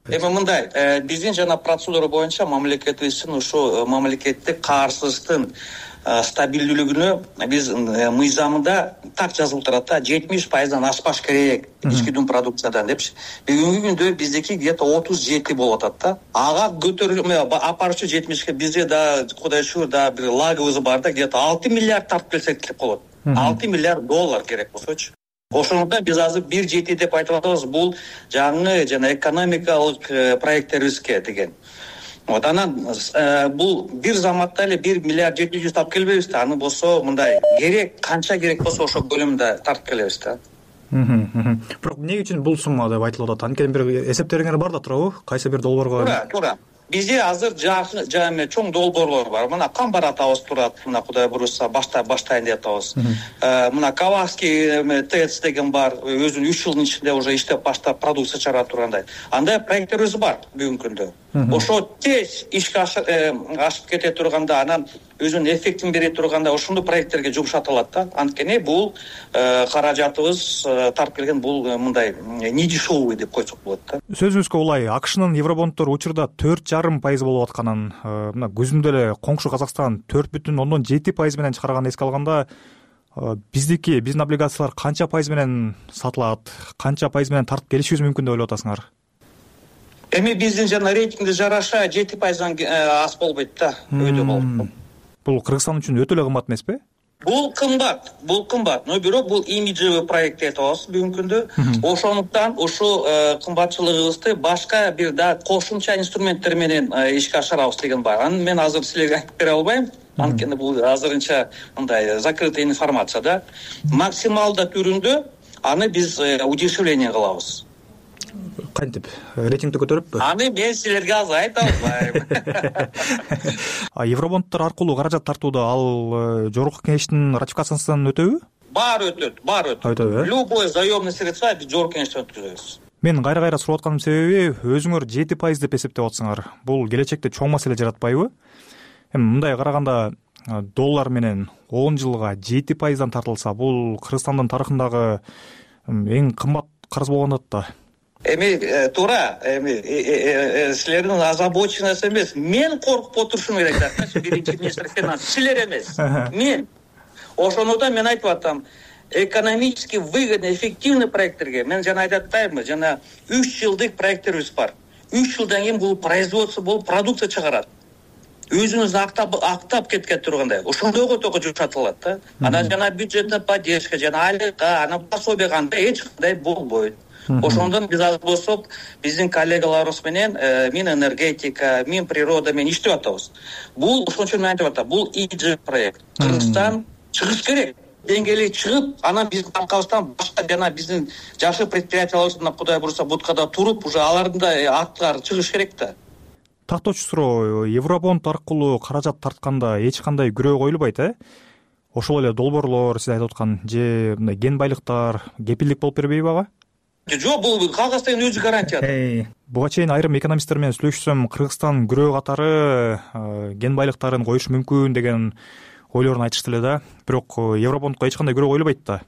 Эми мындай, биздин жана процедура боюнча мамлекетибиздин ушу мамлекеттик каарсыздыктын стабилдүүлүгүнө биз мыйзамында так жазылып турат да, 70%дан ашпаш керек ички дум продукциядан депчи. Бүгүнкү күндө биздики где-то 37 болуп атат да. Ага көтөрүлмө апарчу 70ке бизде да кудай шүгүр да бир лагыбыз бар да, где-то 6 миллиард тартып келсек деп болот. 6 миллиард доллар керек болсочу. ошондуктан биз азыр 1.7 деп айтып атабыз, бул жаңы жана экономикалык проекттерибизге деген. Вот анан бул бир заматта эле 1 миллиард 700 тап келбейбиз да, аны болсо мындай керек, канча керек болсо ошол көлөмдө тартып келебиз да. Бирок эмне үчүн бул сумма деп айтылып атат? Анткени бир эсептериңер бар да турабы? Кайсы бир долбоорго? Туура. Бизде азыр чоң долбоорлор бар. Мына камбар атабыз турат, мына Кудай буюрса баштайын деп атабыз. Мына Каваский ТЭЦ деген бар, өзүнүн 3 жылдын ичинде уже иштеп баштап продукция чыгара тургандай. Андай проекттерибиз бар бүгүнкү күндө. Ошо тез ишке ашып кете турганда, анан өзүнүн эффектин бере турганда ошондой проекттерге жумшатылат да. Анткени бул каражатыбыз тарып келген, бул мындай не дешевый деп койсок болот да. Сөзүңүзгө улай, АКШнын евробонддор учурда 4,5% болуп атканын, мына күзүндө эле коңшу Казакстан 4,7% менен чыгарганды эске алганда, биздин облигациялар канча пайыз менен сатылат, канча пайыз менен тартып келишибиз мүмкүн деп ойлоп атасыңар? Эми биздин жана рейтингге жараша 7%дан аз болбойт да, өйдө болот. Бул Кыргызстан үчүн өтө эле кымбат эмеспи? Бул кымбат, но бирок бул имиджевый проект деп атабыз бүгүнкү күндө. Ошондуктан ушул кымбатчылыгыбызды башка бир да кошумча инструменттер менен ишке ашырабыз деген бар. Аны мен азыр силерге айтып бере албайм. Анткени бул азырынча мындай закрытый информация да. Максималда түрүндө аны биз удешевление кылабыз. Кантип? Рейтингди көтөрүппү? Аны мен силерге азыр айта албайм. Евробонддор аркылуу каражат тартууда ал жогорку кеңештин ратификациясынан өтөбү? Бар өтөт. Любой заемный средства биз жогорку кеңештен өткүзөбүз. Мен кайра сурап атканымдын себеби, өзүңөр 7% деп эсептеп атсыңар. Бул келечекте чоң маселе жаратпайбы? Эми мындай караганда, доллар менен 10 жылга 7%дан тартылса, бул Кыргызстандын тарыхындагы эң кымбат карыз болгондот да. Эми туура, силердин озабоченность эмес, мен коркуп отурушум керек да, биринчи министр финанс, силер эмес, мен. Ошондуктан мен айтып атам, экономически выгодный, эффективный проекттерге мен жана айтып атпаймынбы, жана 3 жылдык проекттерибиз бар. 3 жылдан кийин бул производство болуп продукция чыгарат. Өзүнүздү актап кеткен тургандай, ошондойго только жумшатылат да. Анан жана бюджетная поддержка, жана айлыкка, анан пособие кандай эч кандай болбойт. Ошондон биз азыр болсок, биздин коллегаларыбыз менен Минэнергетика, Минприрода менен иштеп атабыз. Бул ошон үчүн мен айтып атам, бул идея проект. Кыргызстан чыгыш керек. Деңгээлге чыгып, анан биздин аркабыздан башка жана биздин жакшы предприятияларыбыз Кудай буюрса будкада туруп, уже алардын да аттары чыгыш керек да. Тактоочу суроо, Евробонд аркылуу каражат тартканда эч кандай күрөө коюлбайт, Ошол эле долбоорлор, сиз айтып аткан же мындай кен байлыктар кепилдик болуп бербейби ага? Жок, бул кагаз деген өзү гарантия. Буга чейин айрым экономисттер менен сүйлөшсөм, Кыргызстан күрөө катары кен байлыктарын коюшу мүмкүн деген ойлорун айтышты эле да. Бирок Евробондко эч кандай күрөө коюлбайт да.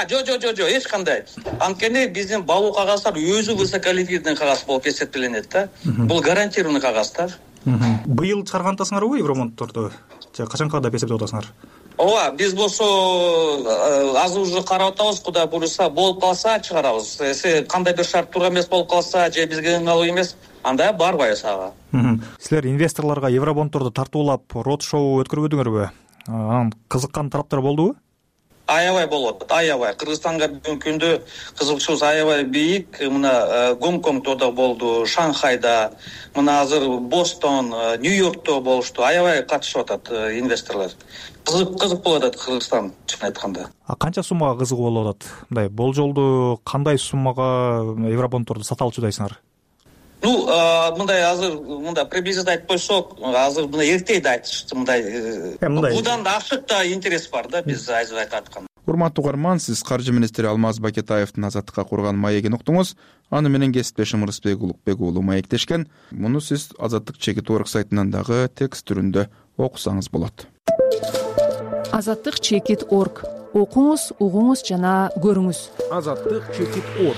Жок, эч кандай. Анткени биздин бабу кагаздар өзү высоколиквидный кагаз болуп эсептеленет да. Бул гарантированный кагаз да. Быйыл чыгарган атасыңарбы Евробонддорду? Же качанка деп эсептеп атасыңар? Ооба, биз болсо азыр уже карап атабыз, Кудай буюрса болуп калса чыгарабыз. Кандай бир шарт туура эмес болуп калса, же бизге ыңгайлуу эмес, анда барбайбыз ага. Силер инвесторлорго евробонддорду тартуулап род шоу өткөрбөдүңөрбү? Анан кызыккан тараптар болдубу? Аябай болот, аябай. Кыргызстанга бүгүнкү күндө кызыкчылык аябай бийик. Мына Гонконгдо да болду, Шанхайда, мына азыр Бостон, Нью-Йоркто болушту. Аябай катышып атат инвесторлор. Кызык болуп атат Кыргызстан, чын айтканда. Канча суммага кызыгуу болуп атат? Мындай болжолду кандай суммага евробонддорду сата алчудайсыңар? Мындай азыр приблизительно айтып койсок, азыр мындай эртеде айтышты, мындай будан да ашык да интерес бар да, биз азыр айтып аткан. Урматтуу угарман, сиз каржы министри Алмаз Бакетаевдин азаттыкка курган маегин уктуңуз. Аны менен кесиптешим Ырысбек Улукбек уулу маектешкен. Муну сиз Азаттык Чекит.org сайтынан дагы текст түрүндө окусаңыз болот. Азаттык Чекит.org. Окуңуз, угуңуз жана көрүңүз. Азаттык Чекит.org.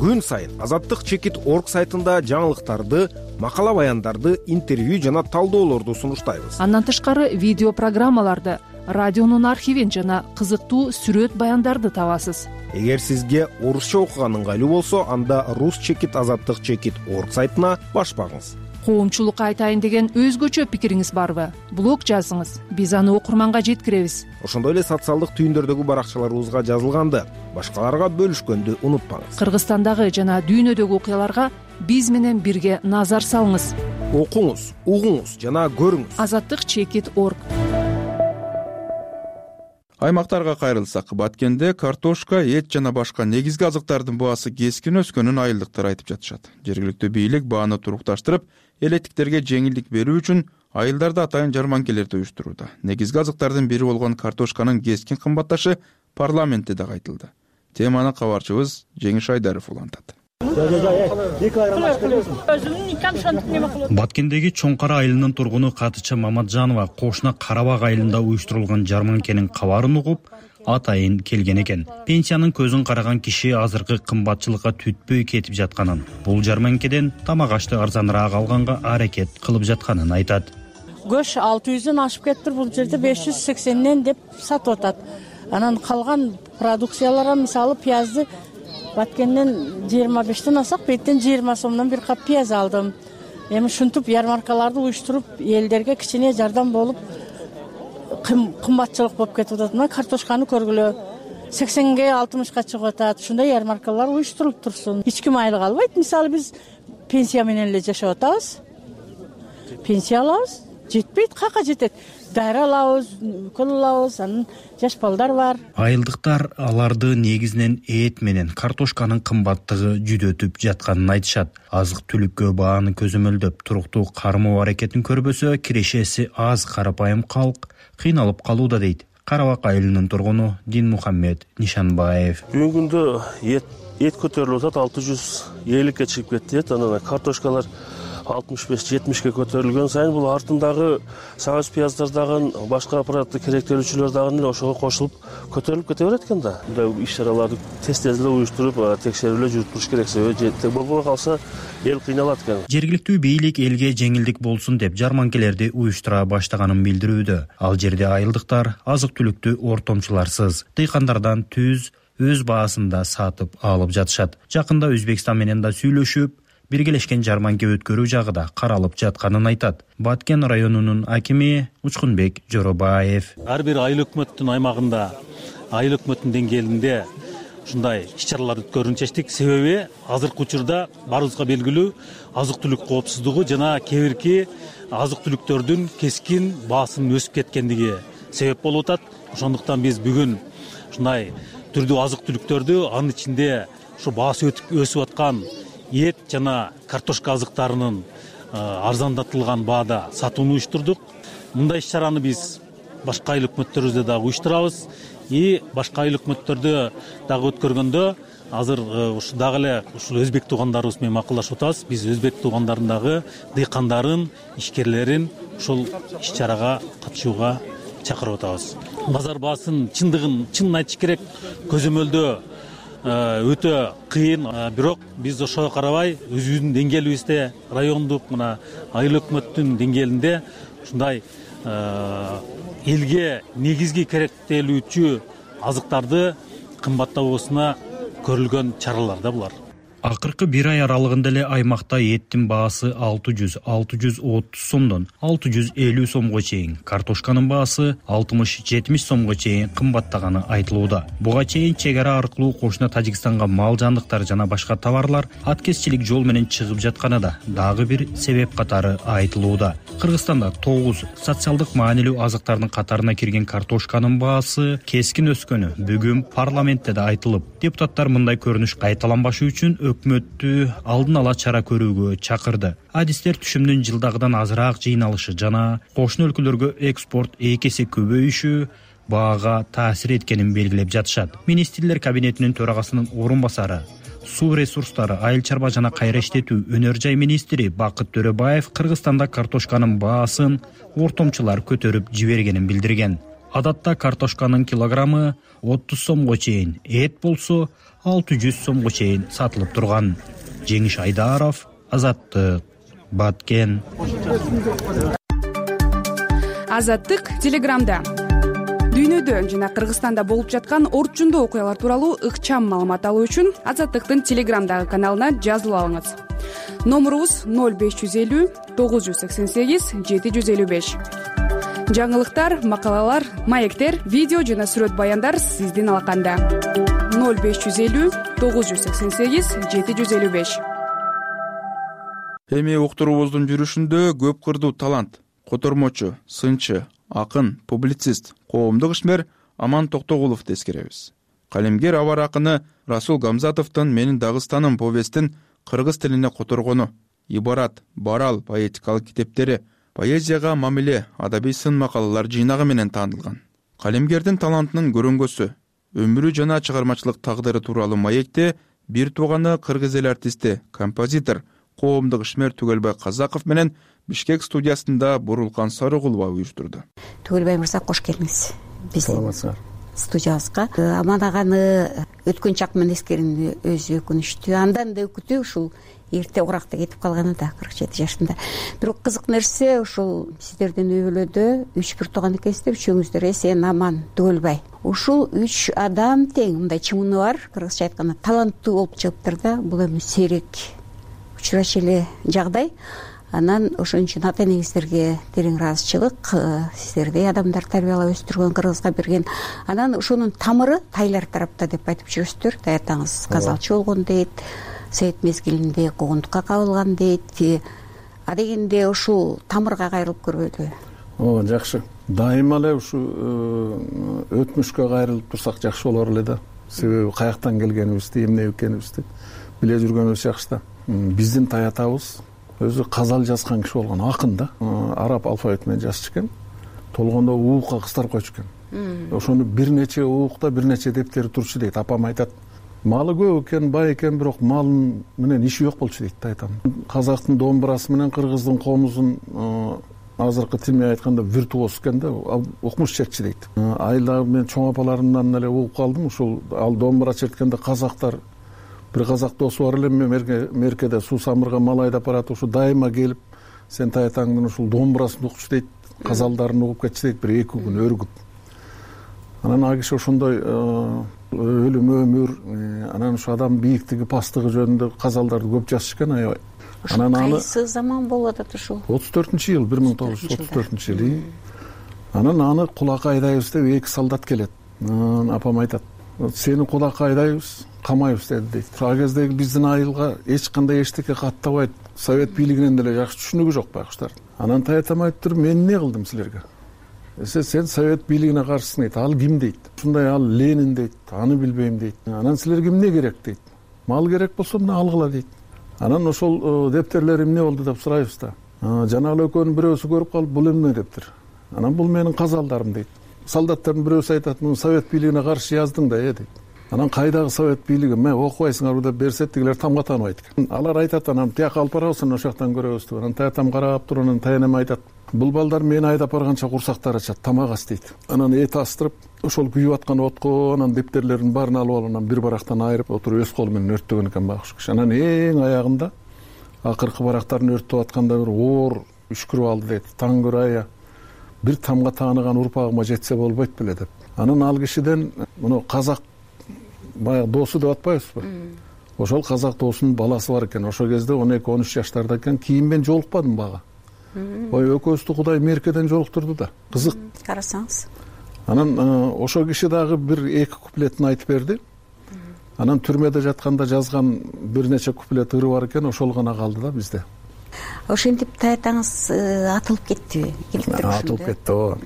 Күн сайын Азаттык Чекит.org сайтында жаңылыктарды, макала баяндарды, интервью жана талдоолорду сунуштайбыз. Андан тышкары видео программаларды, радионун архивин жана кызыктуу сүрөт баяндарды табасыз. Эгер сизге орусча окуган ыңгайлуу болсо, анда Рус Чекит Азаттык Чекит.org сайтына баш багыңыз. коомчулукка айтайын деген өзгөчө пикириңиз барбы? Блог жазыңыз, биз аны окурманга жеткиребиз. Ошондой эле социалдык түйүндөрдөгү баракчаларыбызга жазылганды башкаларга бөлүшкөндү унутпаңыз. Кыргызстандагы жана дүйнөдөгү окуяларга биз менен бирге назар салыңыз. Окуңуз, угуңуз жана көрүңүз. Azattik.org. Аймактарга кайрылсак, Баткенде картошка, эт жана башка негизги азыктардын баасы кескин өскөнүн айылдыктар айтып жатышат. Жергиликтүү бийлик бааны турукташтырып, элеттиктерге жеңилдик берүү үчүн айылдарда атайын жарманкелерди уюштурууда. Негизги азыктардын бири болгон картошканын кескин кымбатташы парламентте да айтылды. Теманы кабарчыбыз Жеңиш Айдаров улантат. Баткендеги Чоң Кара айылынын тургуну Катыча Маматжанова кошуна Карабак айылында уюштурулган жарманкенин кабарын угуп, атайын келген экен. Пенсиянын көзүн караган киши азыркы кымбатчылыкка түтпөй кетип жатканын, бул жарманкеден тамак ашты арзаныраак алганга аракет кылып жатканын айтат. Көш 600дөн ашып кетиптир, бул жерде 580ден деп сатып атат. Анан калган продукцияларга мисалы пиязды Баткенден 25ден алсак, беттен 20 сомдон бир кап пияз алдым. Эми ушинтип ярмаркаларды уюштуруп, элдерге кичине жардам болуп, кымбатчылык болуп кетип атат. Мына картошканы көргүлө 80ге 60ка чыгып атат. Ушундай ярмаркалар уюштурулуп турсун. Эч ким айлык албайт. Мисалы биз пенсия менен эле жашап атабыз. Пенсия алабыз, жетпейт, кака жетет. Дайра алабыз, укол алабыз, анан жаш балдар бар. Айылдыктар аларды негизинен эт менен картошканын кымбаттыгы жүдөтүп жатканын айтышат. Азык-түлүккө бааны көзөмөлдөп туруктуу кармоо аракетин көрбөсө, кирешеси аз карапайым калк кыйналып калууда дейт Карабак айылынын тургуну Динмухаммед Нишанбаев. Бүгүнкү күндө эт көтөрүлүп атат, 650ке чыгып кетти. Анан картошкалар 65-70ке көтөрүлгөн сайын бул артындагы сабыз пияздар дагы башка аппаратты керектелүүчүлөр дагы эле ошого кошулуп көтөрүлүп кете берет экен да. Мындай иш-чараларды тез эле уюштуруп, текшерүүлөр жүрүп туруш керек. Себеби болбой калса эл кыйналат экен. Жергиликтүү бийлик элге жеңилдик болсун деп жарманкелерди уюштура баштаганын билдирүүдө. Ал жерде айылдыктар азык-түлүктү ортомчуларсыз дыйкандардан түз өз баасында сатып алып жатышат. Жакында Өзбекстан менен да сүйлөшүп, биргелешкен жарманке өткөрүү жагы да каралып жатканын айтат. Баткен районунун акими Учкунбек Жоробаев. Ар бир айыл өкмөттүн аймагында, айыл өкмөттүн деңгээлинде ушундай иш-чараларды өткөрүүнү чечтик. Себеби азыркы учурда баарыбызга белгилүү азык-түлүк коопсуздугу жана кээ бирки азык-түлүктөрдүн кескин баасынын өсүп кеткендиги себеп болуп атат. Ошондуктан биз бүгүн ушундай түрдүү азык-түлүктөрдү, анын ичинде ушу баасы өсүп аткан эт жана картошка азыктарынын арзандатылган баада сатууну уюштурдук. Мындай иш-чараны биз башка айыл өкмөттөрүбүздө дагы уюштурабыз. Башка айыл өкмөттөрдө дагы өткөргөндө азыр ушу дагы эле ушул өзбек туугандарыбыз менен макулдашып атабыз. Биз өзбек туугандарын дыйкандарын, ишкерлерин ушул иш-чарага катышууга чакырып атабыз. Базар баасын чынын айтыш керек, көзөмөлдөө өтө кыйын, бирок биз ошого карабай өзүбүздүн деңгээлибизде, райондук мына айыл өкмөттүн деңгээлинде ушундай элге негизги керектелүүчү азыктарды кымбаттабоосуна көрүлгөн чаралар да булар. Акыркы бир ай аралыгында эле аймакта эттин баасы 600-630 сомдон 650 сомго чейин, картошканын баасы 60-70 сомго чейин кымбаттаганы айтылууда. Буга чейин чек ара аркылуу кошуна Тажикстанга мал жандыктар жана башка товарлар аткезчилик жол менен чыгып жатканы да дагы бир себеп катары айтылууда. Кыргызстанда 9 социалдык маанилүү азыктардын катарына кирген картошканын баасы кескин өскөнү бүгүн парламентте да айтылып, депутаттар мындай көрүнүш кайталанбашы үчүн өкмөттү алдын ала чара көрүүгө чакырды. Адистер түшүмдүн жылдагыдан азыраак жыйналышы жана кошуна өлкөлөргө экспорт 2 эсе көбөйүшү баага таасир эткенин белгилеп жатышат. Министрлер кабинетинин төрагасынын орун басары, суу ресурстары, айыл чарба жана кайра иштетүү өнөр жай министри Бакыт Төрөбаев Кыргызстанда картошканын баасын ортомчулар көтөрүп жибергенин билдирген. Адатта картошканын килограммы 30 сомго чейин, эт болсо 600 сомго чейин сатылып турган. Жеңиш Айдаров, Азаттык, Баткен. Азаттык Телеграмда. Дүйнөдө жана Кыргызстанда болуп жаткан орчундуу окуялар тууралуу ыкчам маалымат алуу үчүн Азаттыктын Телеграмдагы каналына жазылып алыңыз. номурубуз 0550 988 755. жаңылыктар, макалалар, маектер, видео жана сүрөт баяндар сиздин алаканда. 0550 988 755. Эми уктуруубуздун жүрүшүндө көп кырдуу талант, котормочу, сынчы, акын, публицист, коомдук ишмер Аман Токтогуловду эскеребиз. Калемгер абар акыны Расул Гамзатовдун «Менин Дагыстаным» повестин кыргыз тилине которгону, ибарат, барал поэтикалык китептери, поэзияга мамиле, адабий сын макалалар жыйнагы менен таанылган. Калемгердин талантынын көрөнгөсү, өмүрү жана чыгармачылык тагдыры тууралуу маекте бир тууганы кыргыз эл артисти, композитор, коомдук ишмер Түгөлбай Казаков менен Бишкек студиясында Бурулкан Сарыгулова уюштурду. Түгөлбай мырза, кош келиңиз биздин студиябызга. Аман аганы өткөн чак менен эскергенде өзү өкүнүчтүү, андан да өкүтүү ушул эрте уракта кетип калганы да 47 жашында. Бирок кызык нерсе, ушул сиздердин үй бүлөдө 3 бир тууган экенсиздер, үчөөңүздөр Эсен, Аман, Түгөлбай. Ушул 3 адам тең, мындай чымыны бар, кыргызча айтканда таланттуу болуп чыгыптыр да. Бул эми сейрек учурачу эле жагдай. Анан ошон үчүн ата энеңиздерге терең ыраазычылык, сиздердей адамдар тарбиялап өстүргөн, кыргызга берген. Анан ошонун тамыры тайлар тарапта деп айтып жүрөсүздөр. Таятаңыз казалчы болгон дейт, совет мезгилинде куугунтукка кабылган дейт. А дегенде ушул тамырга кайрылып көрбөдүбү? Ооба, жакшы. Дайыма эле ушу өтмүшкө кайрылып турсак жакшы болор эле да. Себеби каяктан келгенибизди, эмне экенибизди биле жүргөнүбүз жакшы да. Биздин таятабыз өзү казал жазган киши болгон, акын да. Араб алфавит менен жазчу экен. Толгондо уукка кыстырып койчу экен. Ошону бир нече уукта бир нече дептери турчу дейт. Апам айтат, малы көп экен, бай экен, бирок малын менен иши жок болчу дейт таятам. Казактын домбурасы менен кыргыздын комузун азыркы тил менен айтканда виртуоз экен да, укмуш чертчү дейт. Айла мен чоң апаларымдан эле угуп калдым. Ушул ал домбура черткенде казактар, бир казак досу бар эле, меркеде суу самырга мал айдап барат, ушу дайыма келип, сен таятаңдын ушул домбурасын укчу дейт, казалдарын угуп кетчү дейт, бир 2 күн өргүп. Анан ал киши ошондой өлүм өмүр, анан ушу адам бийиктиги, пасттыгы жөнүндө казалдарды көп жазчу экен, аябай. Анан кайсы заман болуп атат ушул? 34-жыл, 1934-жыл. Анан аны кулакка айдайбыз деп 2 солдат келет. Апам айтат, сени кулакка айдайбыз, камайбыз деди дейт. Ал кездеги биздин айылга эч кандай эчтеке каттабайт, совет бийлигинен деле жакшы түшүнүгү жок байкуштар. Анан таятам айтыптыр, мен эмне кылдым силерге? Сен совет бийлигине каршысың дейт. Ал ким дейт? Ушундай ал Ленин дейт, аны билбейм дейт. Анан силерге эмне керек дейт. Мал керек болсо мына алгыла дейт. Анан ошол дептерлер эмне болду деп сурайбыз да. Жана эле экөөнүн бирөөсү көрүп калып, бул эмне дептир? Анан бул менин казалдарым дейт. Солдаттардын бирөөсү айтат, муну совет бийлигине каршы яздың да дейт. Анан кайдагы совет бийлиги, мен окубайсыңарбы деп берсе, тигилер тамга тааныбайт экен. Алар айтат, анан тияка алып барабыз, ошол жактан көрөбүз деп. Анан таятам карап туруп, анан таянам айтат, бул балдар мени айдап барганча курсактары ачат, тамак ас дейт. Анан эт астырып, ошол күйүп аткан отко анан дептерлердин баарын алып алып, анан бир барактан айырып отуруп өз колу менен өрттөгөн экен байкуш киши. Анан эң аягында акыркы барактарын өрттөп атканда бир оор үшкүрүп алды дейт. Таң көрайя, бир тамга тааныган урпагыма жетсе болбойт беле деп. Анан ал кишиден муну казак баягы досу деп атпайбызбы? Ошол казак досунун баласы бар экен. Ошол кезде 12-13 жаштарда экен. Кийин мен жолукпадым бага. Ой, экөөбүздү Кудай меркеден жолуктурду да. Кызык. Карасаңыз. Анан ошол киши дагы бир 2 куплетин айтып берди. Анан түрмөдө жатканда жазган бир нече куплет ыры бар экен, ошол гана калды да бизде. Ошентип таятаңыз атылып кеттиби? Атылып кетти, ооба.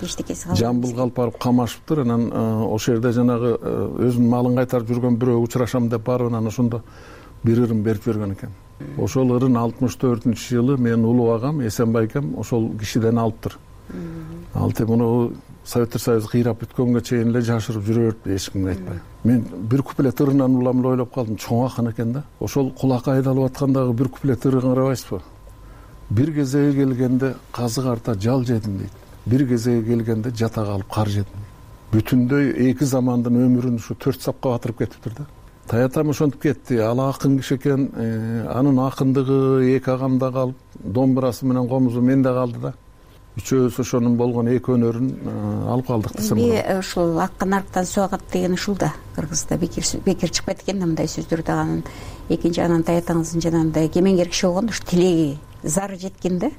Эчтекеси калбады. Жамбылга алып барып камашыптыр. Анан ошол жерде жанагы өзүнүн малын кайтарып жүргөн бирөө учурашам деп барып, анан ошондо бир ырын берип жиберген экен. Ошол ырын 64-жылы менин улуу агам Эсен байкем ошол кишиден алыптыр. Алты муну Советтер Союзу кыйрап бүткөнгө чейин эле жашырып жүрө берди, эч кимге айтпай. Мен бир куплет ырынан улам эле ойлоп калдым, чоң акын экен да. Ошол кулакка айдалып аткандагы бир куплет ыры карабайсызбы? Бир кезеге келгенде казык арта жал жедим дейт. Бир кезеге келгенде жата калып кар жедим. Бүтүндөй 2 замандын өмүрүн ушу 4 сапка батырып кетиптир да. Таятам ошентип кетти. Ал акын киши экен, анын акындыгы 2 агамда калып, домбурасы менен комузу менде калды да. Үчөөбүз ошонун болгон 2 өнөрүн алып калдык десем болот. Ушул акын арктан суу агат деген ушул да. Кыргызда бекер чыкпайт экен да мындай сөздөр дагы. экинчи анантай атаңыздын жанагындай кемеңгер киши болгондо ушу тилеги зары жеткен да.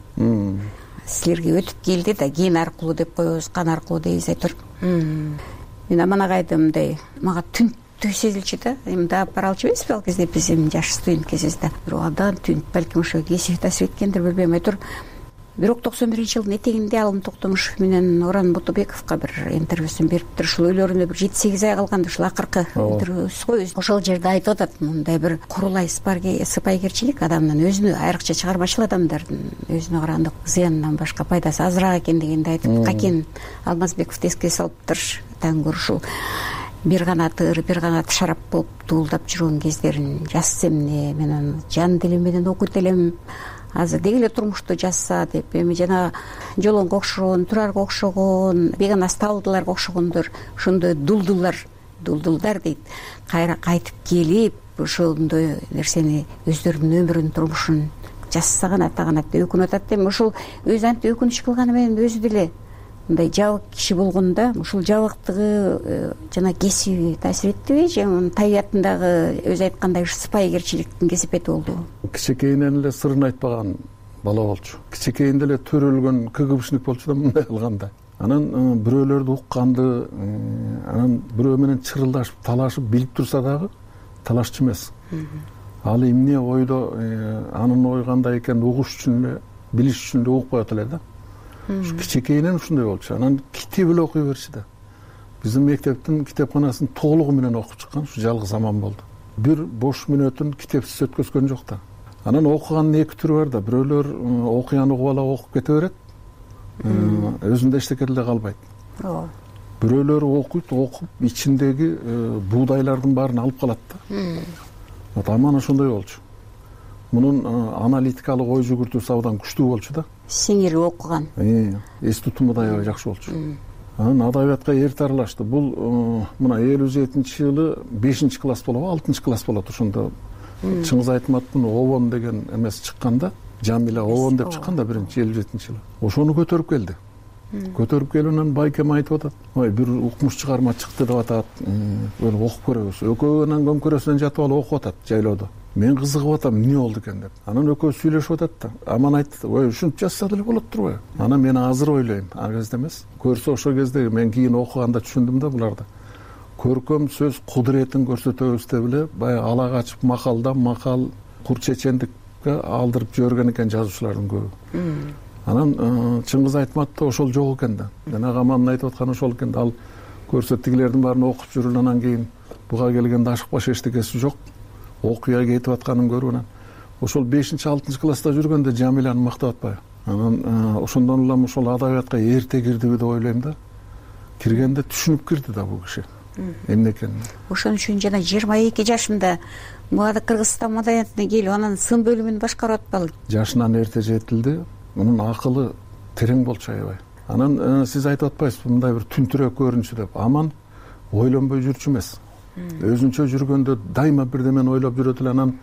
Силерге өтүп келди да, ген аркылуу деп коебуз, кан аркылуу дейбиз айтор. Мен Аман агайды мындай мага түнттүү сезилчү да. Мында алып бара алчу эмеспи ал кезде биз жаш студент кезибизде. Бирок андан түнт балким ошо кесип таасир эткендир, билбейм. Айтор бирок 91-жылдын этегинде Алым Токтомушев менен Орон Ботобековго бир интервьюсун бериптир. Ушул үйлөрүнө бир 7-8 ай калганда ушул акыркы интервьюсу го ошол жерде айтып атат, мындай бир курулай сыпайгерчилик адамдын өзүнө, айрыкча чыгармачыл адамдардын өзүнө караганда зыянынан башка пайдасы азыраак экен дегенди айтып, Какен Алмазбековду эске салыптыр. Таң ушул бир канат ыр, бир канат шарап болуп дуулдап жүргөн кездерин жазса эмне, мен аны жан дилим менен окуйт элем. Азыр деги эле турмушту жазса деп, эми жана Жолонго окшогон, Турарга окшогон, Бегонас Табылдыларга окшогондор ошондой дулдулдар дейт, кайра кайтып келип ошондой нерсени өздөрүнүн өмүрүн, турмушун жазса гана тагынат деп өкүнүп атат. Эми ушул өзү антип өкүнүч кылганы менен өзү деле мындай жабык киши болгондо ушул жабыктыгы жана кесиби таасир эттиби же анын табиятындагы өзү айткандай ушу сыпайгерчиликтин кесепети болдубу? Кичекейинен эле сырын айтпаган бала болчу. Кичекейинде эле төрөлгөн КГБшник болчу да мындай кылганда. Анан бирөөлөрдү укканды, анан бирөө менен чырылдашып, талашып билип турса дагы талашчу эмес. Ал эмне ойдо, анын ою кандай экенин угуш үчүн эле, билиш үчүн эле укпай эле да. Ушу кичекейинен ушундай болчу. Анан китеп эле окуй берчү да. Биздин мектептин китепканасын толугу менен окуп чыккан ушу жалгыз Аман болду. Бир бош мүнөтүн китепсиз өткөзгөн жок да. Анан окугандын эки түрү бар да. Бирөөлөр окуяны угуп ала окуп кете берет. Өзүндө эчтеке деле калбайт. Бирөөлөр окуйт, окуп ичиндеги буудайлардын баарын алып калат да. Вот Аман ошондой болчу. Мунун аналитикалык ой жүгүртүүсү абдан күчтүү болчу да. Сиңири окуган. Эс тутуму да аябай жакшы болчу. Анан адабиятка эрте аралашты. Бул мына 57-жылы 5-класс болобу, 6-класс болот ошондо. Чыңгыз Айтматтын Обон деген эмеси чыкканда, Жамила Обон деп чыкканда 57-жылы. Ошону көтөрүп келди. Көтөрүп келип анан байкем айтып атат. Ой, бир укмуш чыгарма чыкты деп атат. Окуп көрөбүз. Экөө анан көмкөрөсүнөн жатып алып окуп атат жайлоодо. Мен кызыгып атам, эмне болду экен деп. Анан экөө сүйлөшүп атат да. Аман айтты, ой, ушинтип жазса деле болот турбайбы? Анан мен азыр ойлойм, ал кезде эмес. Көрсө ошол кезде мен кийин окуганда түшүндүм да буларды. Көркөм сөз кудуретин көрсөтөбүз деп эле баягы ала качып макалдан макал кур чечендикке алдырып жиберген экен жазуучулардын көбү. Анан Чыңгыз Айтматта ошол жок экен да. Жанагы Амандын айтып атканы ошол экен да. Ал көрсө тигилердин баарын окуп жүрүп анан кийин буга келгенде ашыкпаш эчтекеси жок. Окуя кетип атканын көрүп анан ошол 5-6 класста жүргөндө Жамиланы мактап атпайбы? Анан ошондон улам ошол адабиятка эрте кирдиби деп ойлойм да. Киргенде түшүнүп кирди да бул киши. Эмне экенин. Ошон үчүн жана 22 жашында муга Кыргызстан маданиятына келип анан сын бөлүмүн башкарып атпалы? Жашынан эрте жетилди. Мунун акылы терең болчу аябай. Анан сиз айтып атпайсызбы мындай бир түнтүрөк көрүнчү деп. Аман ойлонбой жүрчү эмес. Өзүнчө жүргөндө дайыма бирдемени ойлоп жүрөт эле. Анан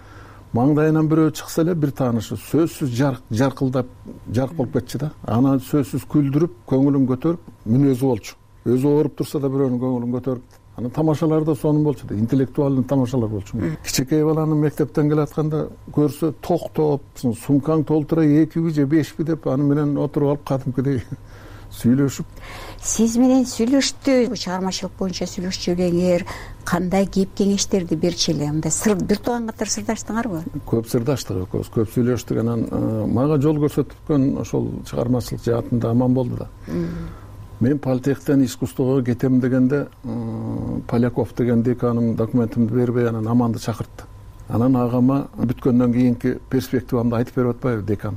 маңдайынан бирөө чыкса эле бир таанышы сөзсүз жаркылдап жарк болуп кетчү да. Анан сөзсүз күлдүрүп, көңүлүн көтөрүп, мүнөзү болчу. Өзү ооруп турса да бирөөнүн көңүлүн көтөрүп. Анан тамашалар да сонун болчу да. Интеллектуалдуу тамашалар болчу. Кичекей баланы мектептен келатканда көрсө токтоп, сумкаң толтура 2 же 5 деп аны менен отуруп алып кадимкидей сүйлөшүп. Сиз менен сүйлөштү, чыгармачылык боюнча сүйлөшчү элеңер, кандай кеп кеңештерди берчү эле? Мындай сыр бир тууган катары сырдаштыңарбы? Көп сырдаштык экөөбүз, көп сүйлөштүк. Анан мага жол көрсөткөн ошол чыгармачылык жаатында Аман болду да. Мен политехтен искусствого кетем дегенде Поляков деген деканым документимди бербей анан Аманды чакыртты. Анан агама бүткөндөн кийинки перспективамды айтып берип атпайбы декан?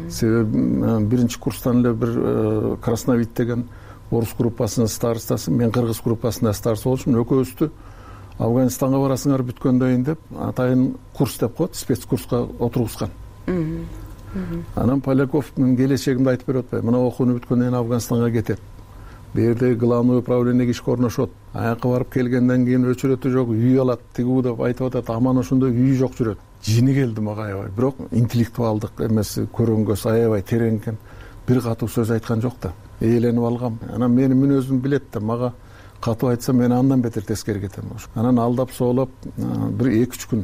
Себеби биринчи курстан эле бир Красновид деген орус группасынын старостасы, мен кыргыз группасында староста болчумун. Экөөбүздү Афганистанга барасыңар бүткөндөн кийин деп атайын курс деп коет, спецкурска отургузган. Анан Поляков менин келечегимди айтып берип атпайбы? Мына окууну бүткөндөн кийин Афганистанга кетет. Берде главный управлениеге ишке орношот. Аяка барып келгенден кийин өчүрөтү жок, үй алат, тигүү деп айтып атат. Аман ошондой үй жок жүрөт. Жини келди мага аябай. Бирок интеллектуалдык эмеси көрөнгөсү аябай терең экен. Бир катуу сөз айткан жок да. Ээленип алгам. Анан менин мүнөзүмдү билет да. Мага катуу айтса мен андан бетер тескери кетем. Анан алдап соолоп бир 2-3 күн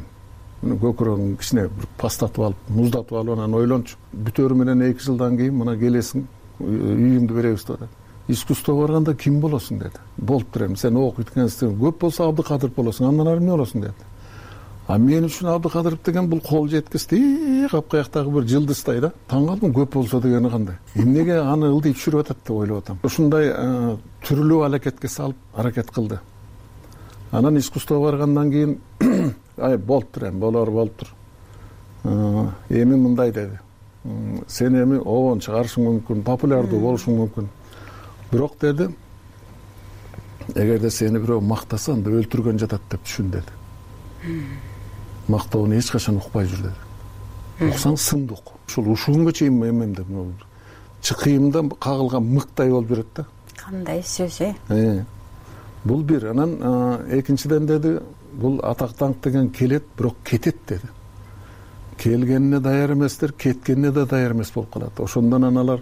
көкүрөгүңдү кичине бир пастатып алып, муздатып алып анан ойлончу. Бүтөрү менен 2 жылдан кийин мына келесиң, үйүңдү беребиз деп атат. Искусствого барганда ким болосуң деди. Болуптур эми, сен окуйт экенсиң, көп болсо Абдыкадыров болосуң, андан ары эмне болосуң деди. А мен үчүн Абдыкадыров деген бул кол жеткисти, капкаяктагы бир жылдыздай да. Таң калдым, көп болсо дегени кандай. Эмнеге аны ылдый түшүрүп атат деп ойлоп атам. Ушундай түрлүү аракетке салып аракет кылды. Анан искусствого баргандан кийин болуптур эми, болуптур. Эми мындай деди. Сен эми обон чыгарышың мүмкүн, популярдуу болушуң мүмкүн. Бирок деди, эгерде сени бирөө мактаса, анда өлтүргөн жатат деп түшүн деди. Мактоону эч качан укпай жүр деди. Уксаң сынды ук. Ушул күнгө чейин эмемде чыкыйымда кагылган мыктай болуп жүрөт да. Кандай сөз Бул бир. Анан экинчиден деди, бул атак даңк деген келет, бирок кетет деди. Келгенине даяр эместер, кеткенине да даяр эмес болуп калат. Ошондон аналар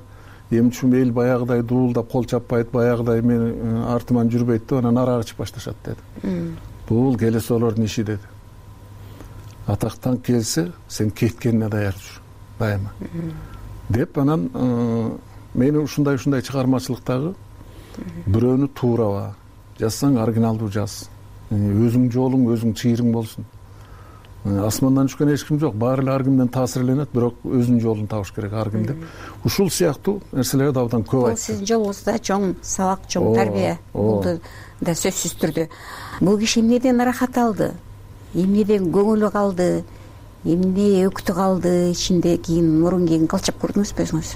эмчүм эл баягыдай дуулдап кол чаппайт, баягыдай мени артыман жүрбөйт деп анан арак ичип башташат деди. Бул келесолордун иши деди. Атактан келсе, сен кеткенине даяр жүр, дайыма. Деп анан мени ушундай чыгармачылыктагы бирөөнү туурава, жазсаң оригиналдуу жаз. Өзүң жолуң, өзүң чыйырың болсун. Асмандан түшкөн эч ким жок, баары эле ар кимден таасирленет, бирок өзүнүн жолун табыш керек ар ким деп. Ушул сыяктуу нерселерди абдан көп айтты. Бул сиздин жолуңузда чоң сабак, чоң тарбия болду да сөзсүз түрдө. Бул киши эмнеден ырахат алды? Эмнеден көңүлү калды? Эмне өктү калды ичинде? Кийин мурун кийин кылчап көрдүңүзбү өзүңүз?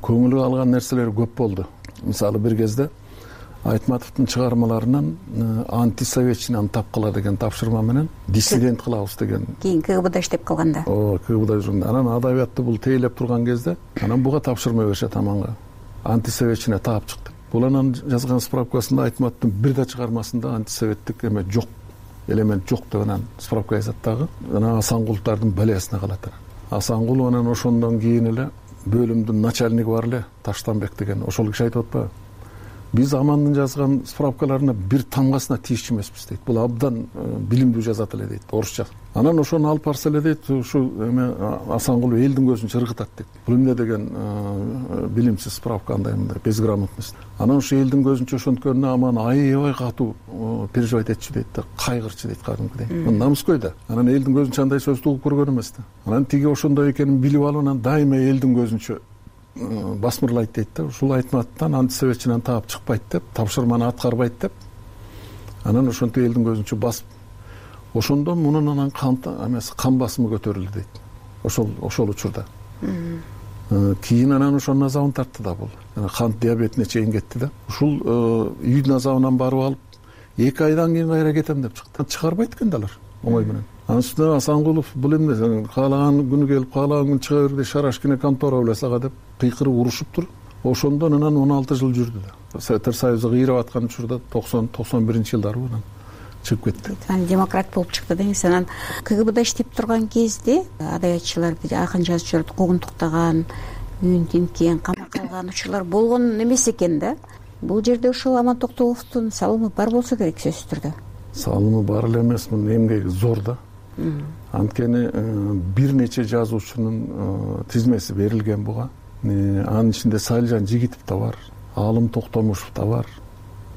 Көңүлү калган нерселер көп болду. Мисалы бир кезде Айтматовдун чыгармаларынан антисоветчинаны тапкыла деген тапшырма менен диссидент кылабыз деген. Кийин КГБда иштеп калганда. КГБда жүргөндө. Анан адабиятты бул тейлеп турган кезде, анан буга тапшырма беришет аманга. Антисоветчине таап чыкты. Бул анан жазган справкасында Айтматовдун бир да чыгармасында антисоветтик эме жок, элемент жок деп анан справка жазат дагы. Анан Асангуловдун балиясына калат. Асангулов анан ошондон кийин эле бөлүмдүн начальниги бар эле, Таштанбек деген. Ошол киши айтып атпайбы? Биз Амандын жазган справкаларына бир тамгасына тийишчү эмеспиз дейт. Бул абдан билимдүү жазат эле дейт, орусча. Анан ошону алып барса эле дейт, ушу эме Асангулов элдин көзүнчө ыргытат дейт. Бул эмне деген билимсиз справка, андай мындай безграмотность. Анан ушу элдин көзүнчө ошонткөнүнө Аман аябай катуу переживать этчү дейт да, кайгырчу дейт кадимкидей. Намыскөй да. Анан элдин көзүнчө андай сөздү угуп көргөн эмес да. Анан тиги ошондой экенин билип алып, анан дайыма элдин көзүнчө басмырлайт дейт да. Ушул Айтматовдон антисоветчинен таап чыкпайт деп, тапшырманы аткарбайт деп. Анан ошентип элдин көзүнчө басып, ошондон мунун анан кан басымы көтөрүлдү дейт. Ошол учурда. Кийин анан ошонун азабын тартты да бул. Кант диабетине чейин кетти да. Ушул үйдүн азабынан барып алып, 2 айдан кийин кайра кетем деп чыкты. Чыгарбайт экен да алар оңой менен. Анын үстүнө Асангулов бул эмне, каалаган күнү келип, каалаган күнү чыга бер, шарашкине контора беле сага деп кыйкырып урушуптур. Ошондон анан 16 жыл жүрдү да. Советтер Союзу кыйрап аткан учурда 90-91-жылдары анан чыгып кетти. Анан демократ болуп чыкты деңиз. Анан КГБда иштеп турган кезде адабиятчыларды, акын жазуучуларды куугунтуктаган, үйүн тинткен, камакка алган учурлар болгон эмес экен да. Бул жерде ошол Аман Токтогуловдун салымы бар болсо керек сөзсүз түрдө. Салымы бар эле эмес, мунун эмгеги зор да. Анткени бир нече жазуучунун тизмеси берилген буга. Анын ичинде Салжан Жигитов да бар, Алым Токтомушев да бар,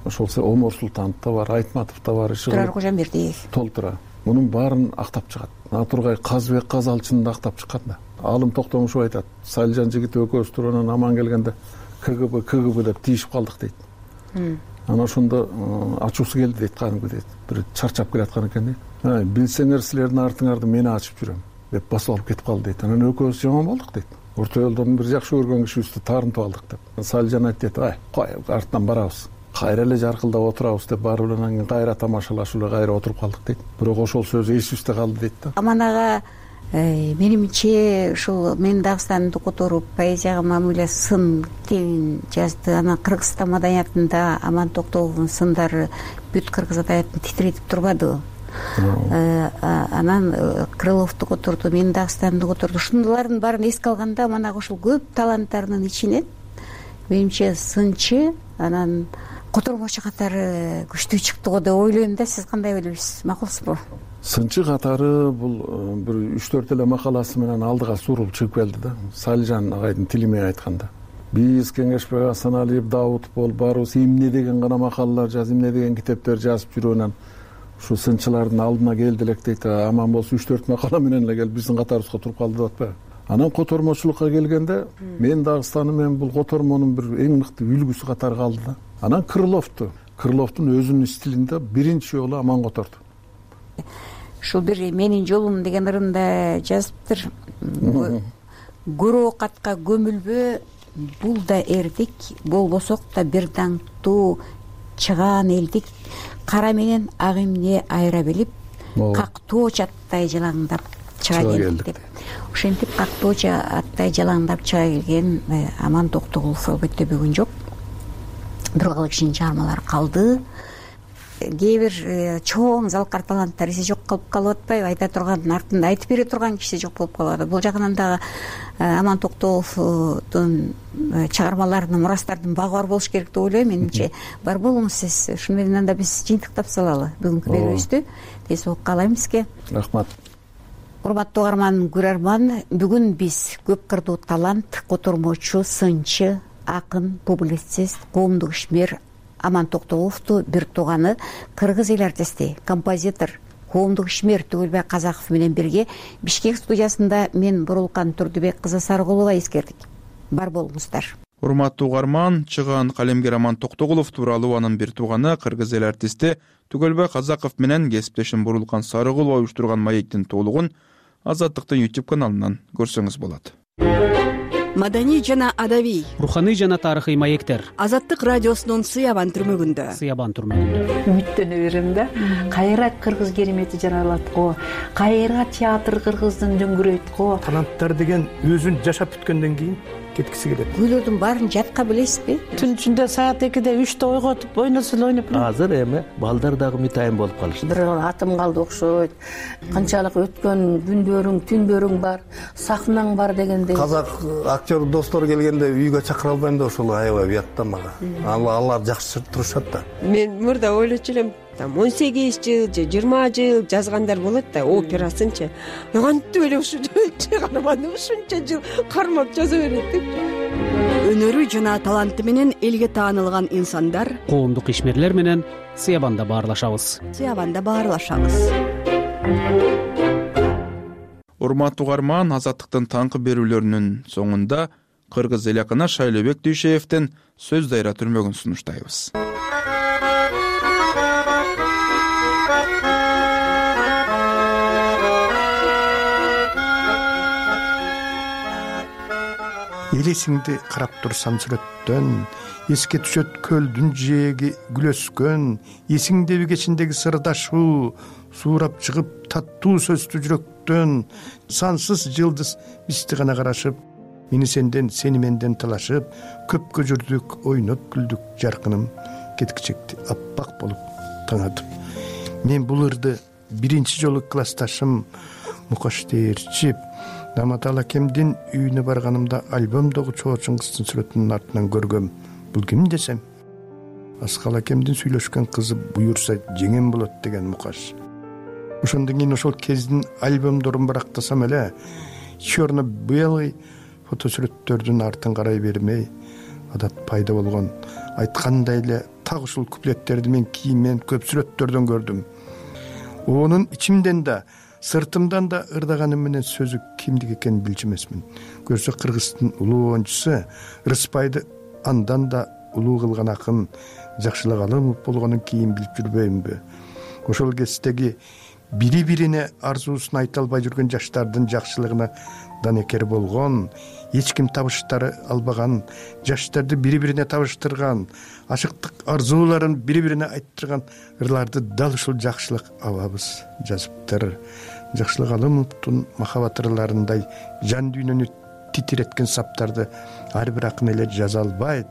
ошол Омор Султанов да бар, Айтматов да бар, Турар Кожомбердиев. Толтура. Мунун баарын актап чыгат. Натургай Казбек Казалчынды актап чыккан да. Алым Токтомушев айтат, Салжан Жигитов экөөбүз туруп анан Аман келгенде КГБ деп тийишип калдык дейт. Анан ошондо ачуусу келди дейт, кадимкидей. Бир чарчап келаткан экен дейт. Билсеңер силердин артыңарды мен ачып жүрөм деп басып алып кетип калды дейт. Анан экөөбүз жаман болдук дейт. Орто жолдон бир жакшы көргөн кишибизди таарынтып алдык деп. Салжан айтты, кой артынан барабыз. Кайра эле жаркылдап отурабыз деп барып эле анан кийин кайра тамашалашып эле кайра отуруп калдык дейт. Бирок ошол сөз эсибизде калды дейт да. Аман ага менимче ушул мен Дагыстанды которуп поэзияга мамиле сын китебин жазды. Анан Кыргызстан маданиятында Аман Токтогуловдун сындары бүт кыргыз адабиятын титиретип турбадыбы? Анан Крыловду которду, мен Дагыстанды которду. Ушундайлардын баарын эске алганда Аман ага ушул көп таланттарынын ичинен менимче сынчы, анан котормочу катары күчтүү чыкты го деп ойлойм да. Сиз кандай ойлойсуз, макулсузбу? Сынчы катары бул бир 3-4 эле макаласы менен алдыга сурулуп чыгып келди да. Салижан агайдын тили менен айтканда. Биз Кеңешбек Асаналиев, Даутов болуп баарыбыз эмне деген гана макалалар жазып, эмне деген китептер жазып жүрүүнөн ушу сынчылардын алдына келди элек дейт. Аман болсо 3-4 макала менен эле келип биздин катарыбызга туруп калды деп атпайбы? Анан котормочулукка келгенде мен Дагыстаным менен бул котормонун бир эң мыкты үлгүсү катары калды да. Анан Крыловдун өзүнүн стилинде биринчи жолу Аман которду. Ушул бир менин жолум деген ырында жазыптыр. Көрө оокатка көмүлбө, бул да эрдик, болбосок да бир даңктуу чыгаан элдик. Кара менен ак эмне айыра билип, кактоочу аттай жалаңдап чыга келдик деп. Ошентип кактоочу аттай жалаңдап чыга келген Аман Токтогулов албетте бүгүн жок. Бирок кишинин чыгармалары калды. Кээ бир чоң залкар таланттар эси жок калып атпайбы? Айта турган, артында айтып бере турган киши жок болуп калат. Бул жагынан дагы Аман Токтогуловдун чыгармаларынын, мурастардын багы бар болуш керек деп ойлойм. Менимче бар болуңуз сиз. Ушуну менен да биз жыйынтыктап салалы бүгүнкү берүүбүздү. Тез окуп калайм сизге. Рахмат. Урматтуу угарман, көрөрман, бүгүн биз көп кырдуу талант, котормочу, сынчы, акын, публицист, коомдук ишмер Аман Токтогуловду бир тууганы, кыргыз эл артисти, композитор, коомдук ишмер Түгөлбай Казаков менен бирге Бишкек студиясында мен Бурулкан Турдубек кызы Сарыгулова эскердик. Бар болуңуздар. Урматтуу угарман, чыгаан калемгер Аман Токтогулов тууралуу анын бир тууганы, кыргыз эл артисти Түгөлбай Казаков менен кесиптешим Бурулкан Сарыгулова уюштурган маектин толугун Азаттыктын YouTube каналынан көрсөңүз болот. Маданий жана адабий, руханий жана тарыхый маектер. Азаттык радиосунун Сыябан түрмөгүндө. Үмүттөнө берем да. Кайра кыргыз керемети жаралат го. Кайра театр кыргыздын дөңгүрөйт го. Таланттар деген өзүн жашап бүткөндөн кийин кеткиси келет. Күйлөрдүн баарын жатка билесизби? Түн ичинде саат 2-де 3-те ойготуп ойносо эле ойноп. Азыр эми балдар дагы мытайын болуп калышты. Бир атым калды окшойт. Канчалык өткөн күндөрүң, түндөрүң бар, сахнаң бар дегендей. Казак актер достор келгенде үйгө чакыра албайм да ошол аябай уят да мага. Алар жакшы турушат да. Мен мурда ойлочу элем, 18 жыл же 20 жыл жазгандар болот да, операсынчы. Кантип эле ушунча чыгарманы ушунча жыл кармап жаза берет деп. Өнөрү жана таланты менен элге таанылган инсандар, Коомдук ишмерлер менен Сыябанда баарлашабыз. Урматтуу угарман, Азаттыктын таңкы берүүлөрүнүн соңунда кыргыз эл акыны Шайлообек Дүйшеевдин сөз дайра түрмөгүн сунуштайбыз. Элесиңди карап турсам сүрөттөн, эске түшөт көлдүн жээги күлөскөн, эсиңдеби кечиндеги сырдашуу, суурап чыгып таттуу сөздүү жүрөктөн, сансыз жылдыз бизди гана карашып, мени сенден, сени менден талашып, көпкө жүрдүк, ойноп күлдүк жаркыным, кеткичекти аппак болуп таңатып. Мен бул ырды биринчи жолу классташым Мукаш Теерчип Наматал акемдин үйүнө барганымда альбомдогу Чоочун кыздын сүрөтүнүн артынан көргөм. Бул ким десем, Аскал акемдин сүйлөшкөн кызы буюрса жеңем болот деген Мукаш. Ошондон кийин ошол кездин альбомдорун барактасам эле, черно-белый фотосүрөттөрдүн артын карай бермей, адат пайда болгон. Айткандай эле так ушул куплеттерди мен кийинмен көп сүрөттөрдөн көрдүм. Онун ичимден да, сыртымдан да ырдаганым менен сөзү кимдик экенин билчү эмесмин. Көрсө кыргыздын улуу оюнчусу Рыспайды андан да улуу кылган акын Жакшылык Алымов болгонун кийин билип жүрбөймүнбү? Ошол кездеги бири-бирине арзуусун айта албай жүргөн жаштардын жакшылыгына данекер болгон, эч ким табыштары албаган, жаштарды бири-бирине табыштырган, ашыктык арзууларын бири-бирине айттырган ырларды дал ушул Жакшылык абабыз жазыптыр. Жакшылык Алымовдун махабат ырларындай жан дүйнөнү титиреткен саптарды ар бир акын эле жаза албайт,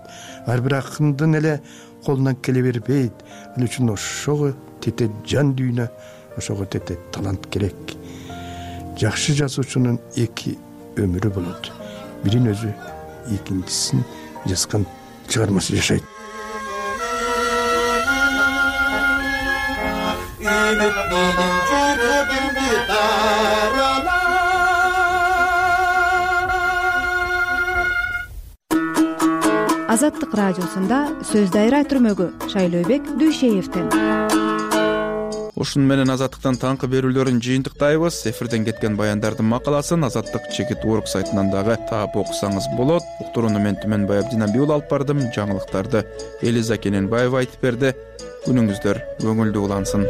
ар бир акындын эле колунан келе бербейт. Ал үчүн ошого тете жан дүйнө, ошого тете талант керек. Жакшы жазуучунун эки өмүрү болот. Бирин өзү, экинчисин жазган чыгармасы жашайт. үмүт менин жүрөгүмдү даралар. Азаттык радиосунда сөз дайра түрмөгү Шайлообек Дүйшеевден. Ушун менен Азаттыктан таңкы берүүлөрүн жыйынтыктайбыз. Эфирден кеткен баяндардын макаласын Азаттык чекит орг сайтынан дагы таап окусаңыз болот. Уктурууну мен Түмөнбай Абдинабиул алып бардым. Жаңылыктарды Элиза Кененбаева айтып берди. Күнүңүздөр көңүлдүү улансын.